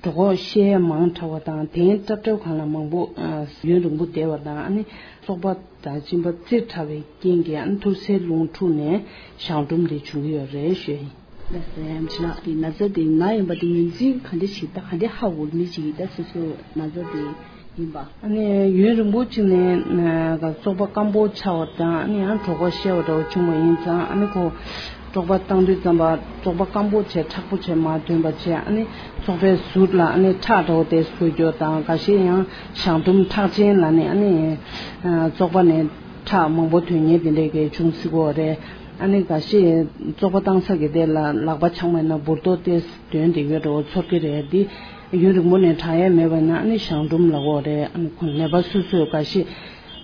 གྲོད་ཁོག་བཤལ་ཡ་མང་དྲགས་པ་དང་གདན་སྲབ་སྲབ་སྒང་ལ་མང་པོ་ཨ་ཡུན་རིང་པོ་བསྡད་པ་དང་ཨ་ནི་སོག་པ་དང་གཅིན་པ་བཙིར་དྲགས་པའི་རྐྱེན་གྱིས་ཨ་ནི་ཐུར་སེལ་རླུང་འཁྲུགས་ནས་གཞང་འབྲུམ་དེ་བྱུང་གི་ཡོད་རེད་ཞུ་ཡ་ཡིན། ལགས་སོ། ཡ་མཆོད་ལགས། དེ་ན་ཚ་དེ་ན་ཡོད་པ་དེ་ངོས་འཛིན་ག་འདྲ་བྱེད་ད་ག་འདྲ་ཧ་གོ་མི་ཅིག་ཡིན་ད་སོ་སོ་ན་ཚ་དེ་ཡིན་པ། ཨ་ནི་ཡུན་རིང་པོ་ཅིག་ནས་ཨ་བཙོག་པ་སྐམ་པོ་ཆགས་པ་དང་ཨ་ནི་ཡང་གྲོད་ཁོག་བཤལ་བ་འདྲ་བོ་བྱུང་བ་ཡིན་ཙང་ཨ་ནི་ཁོ་བཙོག་པ་བཏང་དུས་ཙམ་པ་བཙོག་པ་སྐམ་པོ་བྱས་མཁྲེགས་པོ་བྱས་མར་ཐོན་པ་བྱས་ཨ་ནི་བཙོག་པའི་ཟུར་ལ་ཨ་ནི་ཁྲག་འདྲ་བོ་དེ་བཟོ་རྒྱུ་དང་། འགའ་ཤས་ཡང་གཞང་འབྲུམ་ཁྲག་ཆེན་ལབ་ནས་ཨ་ནི་ཨ་བཙོག་པ་ནས་ཁྲག་མང་པོ་ཐོན་མཁན་དེ་འདྲས་ཀྱི་བྱུང་སྲིད་ཀྱི་ཡོད་རེད། ཨ་ནི་འགའ་ཤས་བཙོག་པ་བཏང་ས་གི་དེ་ལ་ལག་པ་འཆང་བ་ཡིན་ན་འབུར་ཏོག་དེ་དོན་དེ་ཡོད་འགྲོ་ཚོར་གྱི་རེད། འདི་ཡུན་རིང་པོ་ནས་དྲག་ཡས་མེད་པ་ཡིན་ན་ཨ་ནི་གཞང་འབྲུམ་ལབ་ཀྱི་ཡོད་རེད། ཨ་ནི་ཁོ་ནད་པ་སོ་སོས་འགའ་ཤས་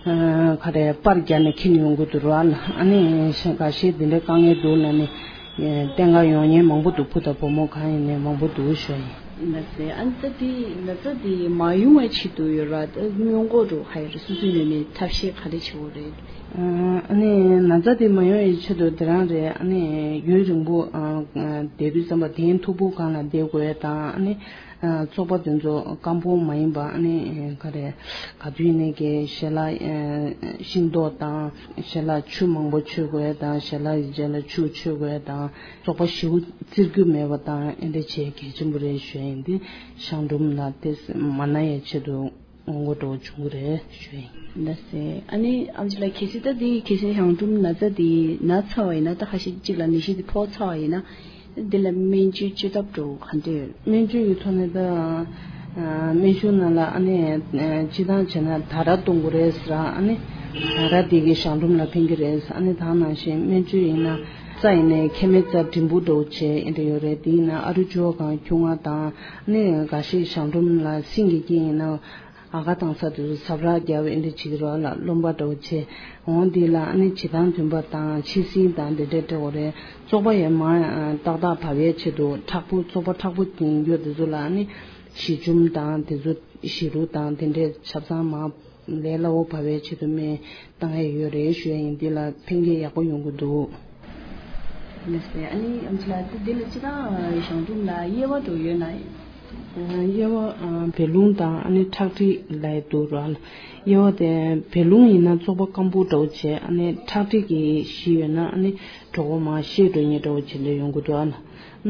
ཨ་ག་རེ་པར་བརྒྱབ་ནས་འཁྱེར་ཡོང་གི་འདུག་ར། ཨ་ནི་འགའ་ཤས་འདི་འདྲའི་དཀའ་ངལ་འདུག་ལབ་ནས་བསྟེན་ག་ཡོང་མཁན་མང་པོ་འདུག་བུ་དང་བུ་མོ་གང་ཡིན་ནའི་མང་པོ་འདུག་ཞུ་ཡིན། ལགས་སེ། ཨ་ནི་ད་དེ་ན་ཚ་དེ་མ་ཡོང་བའི་ཆེད་དུ་ཡོད་ར་ད་སྔོན་འགོག་འགྲོ་ག་ཡོད་ར་སོ་སོའི་ངོས་ནས་ཐབས་ཤེས་ག་རེ་བྱེད་དགོས་རེད། ཨ་ནི་ན་ཚ་དེ་མ་ཡོང་བའི་ཆེད་དུ་དེ་རང་རེད། ཨ་ནི་ཡུན་རིང་པོ་ཨ་བསྡད་དུས་ཙམ་པ་གདན་མཐུག་པོ་སྒང་ལ་བསྡད་དགོས་དང་། ཨ་ནི་ཨ་བཙོག་པ་དེ་ཚོ་སྐམ་པོ་མ་ཡིན་པ་ཨ་ནི་ག་རེ་ག་དུས་ནས་ཀྱི་ཞལ་ལག་ཤིང་ཏོག་དང་ཞལ་ལག་ཆུ་མང་པོ་མཆོད་དགོས་དང་། ཞལ་ལག་གི་རྗེས་ལ་ཆུ་མཆོད་དགོས་དང་། བཙོག་པ་ཞེ་པོ་བཙིར་རྒྱུ་མེད་པ་དང་ཨེ་འདྲ་བྱེད་གལ་ཆེན་པོ་རེད་ཞུ་ཡིན། འདི་གཞང་འབྲུམ་ལ་དེ་མ་ན་ཡའི་ཆེད་དུ་སྔོན་འགོག་འདྲ་བོ་བྱུང་གི་རེད་ཞུ་ཡིན། ལགས་སེ། ཨ་ནི་ཨམ་ཆི་ལགས་གལ་སྲིད་ད་དེ་གལ་སྲིད་གཞང་འབྲུམ་ན་ཚ་དེ་ན་ཚར་བ་ཡིན་ན་ད་ཁ་ཤས་གཅིག་ལ་ནད་གཞི་དེ་ཕོག་ཚར་བ་ཡིན་ན་འདི་ལ་སྨན་བཅོས་བཅོས་ཐབས་འདྲ་བོ་ག་འདྲ་ཡོད། སྨན་བཅོས་ཀྱི་ཐོག་ནས་ད་སྨན་གཞུང་ནང་ལ་ཨ་ནི་སྤྱིར་བཏང་བྱས་ན་དར་ར་གཏོང་དགོས་རེད་ཟེར། ཨ་ནི་དར་ར་དེ་གི་གཞང་འབྲུམ་ལ་ཕན་གྱི་རེད་ཟེར། ཨ་ནི་ད་ནང་བཞིན་སྨན་བཅོས་ཡིན་ན་རྩ་ཡིན་ནའི་མཁལ་མའི་རྩ་འགྲེང་བུ་འདྲ་བོ་བྱས་ཨེ་འདྲ་ཡོད་རེད། དེ་ཡིན་ན་ཨ་རུ་བཅུ་བ་སྒང་ཁྱུང་ལྔ་དང་། ཨ་ནི་འགའ་ཤས་གཞང་འབྲུམ་ལ་སྲིན་གྱི་རྐྱེན་ཡིན་ན་ཨ་ཁ་བཏང་ས་དེ་ཚོ་ཟབ་ར་རྒྱབ་ཨེ་འདྲ་བྱེད་ཀྱི་རེད་ལ་རློན་པ་འདྲ་བོ་བྱས། འོང་འདི་ལ་ཨ་ནི་བྱེ་ཐང་མཐུན་པ་དང་ཕྱི་སྲིན་དང་དེ་འདྲ་སྤྲད་དགོས་རེད། བཙོག་པ་ཡང་མར་ཏག་ཏག་བབས་ཡས་ཆེད་དུ་མཁྲེགས་པོ་བཙོག་པ་མཁྲེགས་པོ་ཡིན་རྒྱུ་དེ་ཚོ་ལ་ཨ་ནི་ཞི་ཆུམ་དང་དེ་ཚོ་ཞི་རུལ་དང་དེ་འདྲའི་ཆབ་གསང་མར་ལས་སླ་བོ་བབས་ཡས་ཆེད་དུ་སྨན་བཏང་ཡས་ཡོད་རེད་ཞུ་ཡས་ཡིན། འདི་ལ་ཕན་ཁེ་ཡག་པོ་ཡོང་གི་འདུག་ལགས་སེ། ཨ་ནི་ཨམ་ཆི་ལགས་དེ་འདི་ལ་སྤྱིར་བཏང་གཞང་འབྲུམ་ལ་དབྱེ་བ་འདྲ་བོ་ཡོད་ན། དབྱེ་བ་བད་རླུང་དང་ཨ་ནི་ཁྲག་མཁྲིས་ལབ་ཡས་འདུག་ར། དབྱེ་བ་དེ་བད་རླུང་ཡིན་ན་བཙོག་པ་སྐམ་པོ་འདྲ་བོ་བྱས། ཨ་ནི་ཁྲག་མཁྲིས་ཀྱི་གཞི་ཡོད་ན་ཨ་ནི་གྲོད་ཁོག་མར་བཤལ་འགྲོ་མཁན་འདྲ་བོ་བྱེད་འདོད་ཡོང་གི་འདུག་ཨ་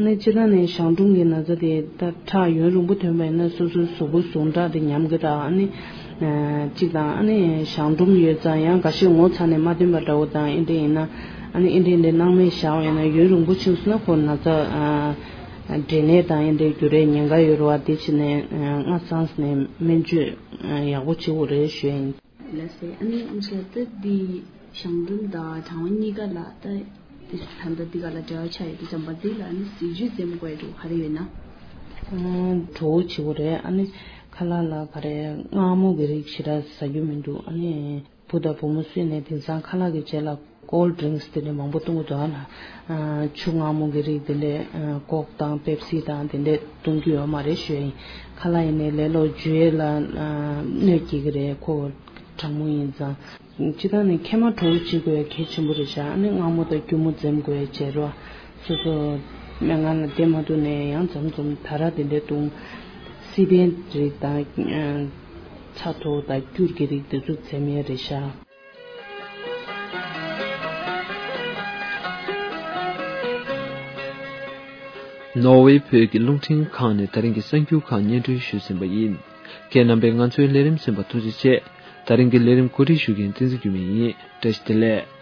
ནི་སྤྱིར་བཏང་ནས་གཞང་འབྲུམ་གྱི་ན་ཚ་དེ་ད་ཁྲག་ཡུན་རིང་པོ་ཐོན་པ་ཡིན་ན་སོ་སོའི་གཟུགས་པོ་ཟུངས་ཁྲག་དེ་ཉམས་ཀྱི་ར། ཨ་ནི་གཅིག་དང་ཨ་ནི་གཞང་འབྲུམ་ཡོད་ཙང་ཡང་འགའ་ཤས་ངོ་ཚ་ནས་མ་ཐོན་པ་འདྲ་བོ་དང་ཨེ་འདྲ་ཡིན་ན་ཨ་ནི་ཨེ་འདྲ་ཨེ་འདྲ་སྣང་མེད་བཞག་པ་ཡིན་ན་ཡུན་རིང་པོ་ཕྱིན་སོང་ན་ཁོ་ན་ཚ་འབྲས་ནད་དང་ཨེ་འདྲའི་འགྱུར་བའི་ཉེན་ཁ་ཡོད་རེད་བ། དེ་བྱས་ནས་སྔ་ཚང་ནས་སྨན་བཅོས་ཡག་པོ་བྱེད་དགོས་རེད་ཞུ་ཡ་ཡིན། ལགས་སེ། ཨ་ནི་ཨམ་ཆི་ལགས་ད་འདི་གཞང་འབྲུམ་དང་གྲང་བ་གཉིས་ཀ་ལ་ད་འདི་ད་ལྟ་འདི་ག་ལ་འབྲེལ་བ་ཆགས་ཡོད་དུས་ཙམ་པ་འདི་ལ་ཨ་ནི་ཟས་བཅུད་འཛེམ་དགོས་ཡ་འདྲ་བོ་ག་རེ་ཡོད་ན། གྲོད་བུ་བྱེད་དགོས་རེད། ཨ་ནི་ཁ་ལག་ལ་ག་རེ་མངར་མོ་གི་རིགས་ཞེ་དྲག་ཟ་རྒྱུ་མི་འདུག་ཨ་ནི་བུ་དང་བུ་མོ་སུས་ནས་དེང་སང་ཁ་ལག་གི་རྗེས་ལ་ཀོལ་ཌི་རིང་སི་དེ་འདྲ་མང་པོ་བཏུང་གི་འདུག་ཨ་ལ་ཆུ་མངར་མོ་གི་རིགས་དེ་འདྲ་ཀོག་དང་པེབ་སི་དང་དེ་འདྲ་བཏུང་རྒྱུ་ཡོད་མ་རེད་ཞུ་ཡ་ཡིན། ཁ་ལག་ཡིན་ནའི་ལས་སླ་བོ་འཇུ་ཡས་ལ་གནོད་སྐྱེལ་གི་རེད། ཁོ་གྲང་མོ་ཡིན་ཙང་། སྤྱིར་བཏང་ནས་མཁལ་མ་གྲོད་བུ་བྱེད་དགོས་ཡ་གལ་ཆེན་པོ་རེད་ཤག་ཨ་ནི་མངར་མོ་དང་སྐྱུར་མོ་འཛེམ་དགོས་ཡ་བྱས་རོགས། སོ་སོ་སྨན་ཁང་ལ་བསྡད་མ་ཐུབ་ནའི་ཡང་མཚམས་མཚམས་ད་ར་དེ་འདྲ་བཏུང་། བསིལ་ལྡན་རིགས་དང་། ཚ་མཐོ་དང་སྐྱུར་གྱི་རིགས་དེ་ཚོ་འཛེམ་ཡས་རེད་ཤག་ནོར་ཝེ་བོད་ཀྱི་རླུང་འཕྲིན་ཁང་ནས་ད་རིང་གི་གསར་འགྱུར་ཁག་སྙན་སྒྲོན་ཞུས་ཟིན་པ་ཡིན། ཁྱེད་རྣམ་པས་ང་ཚོའི་ལས་རིམ་གསན་པར་ཐུགས་རྗེ་ཆེ། ད་རིང་གི་ལས་རིམ་གོ་སྒྲིག་ཞུ་མཁན་བསྟན་འཛིན་འགྱུར་མེད་ཡིན། བཀྲ་ཤིས་བདེ་ལེགས།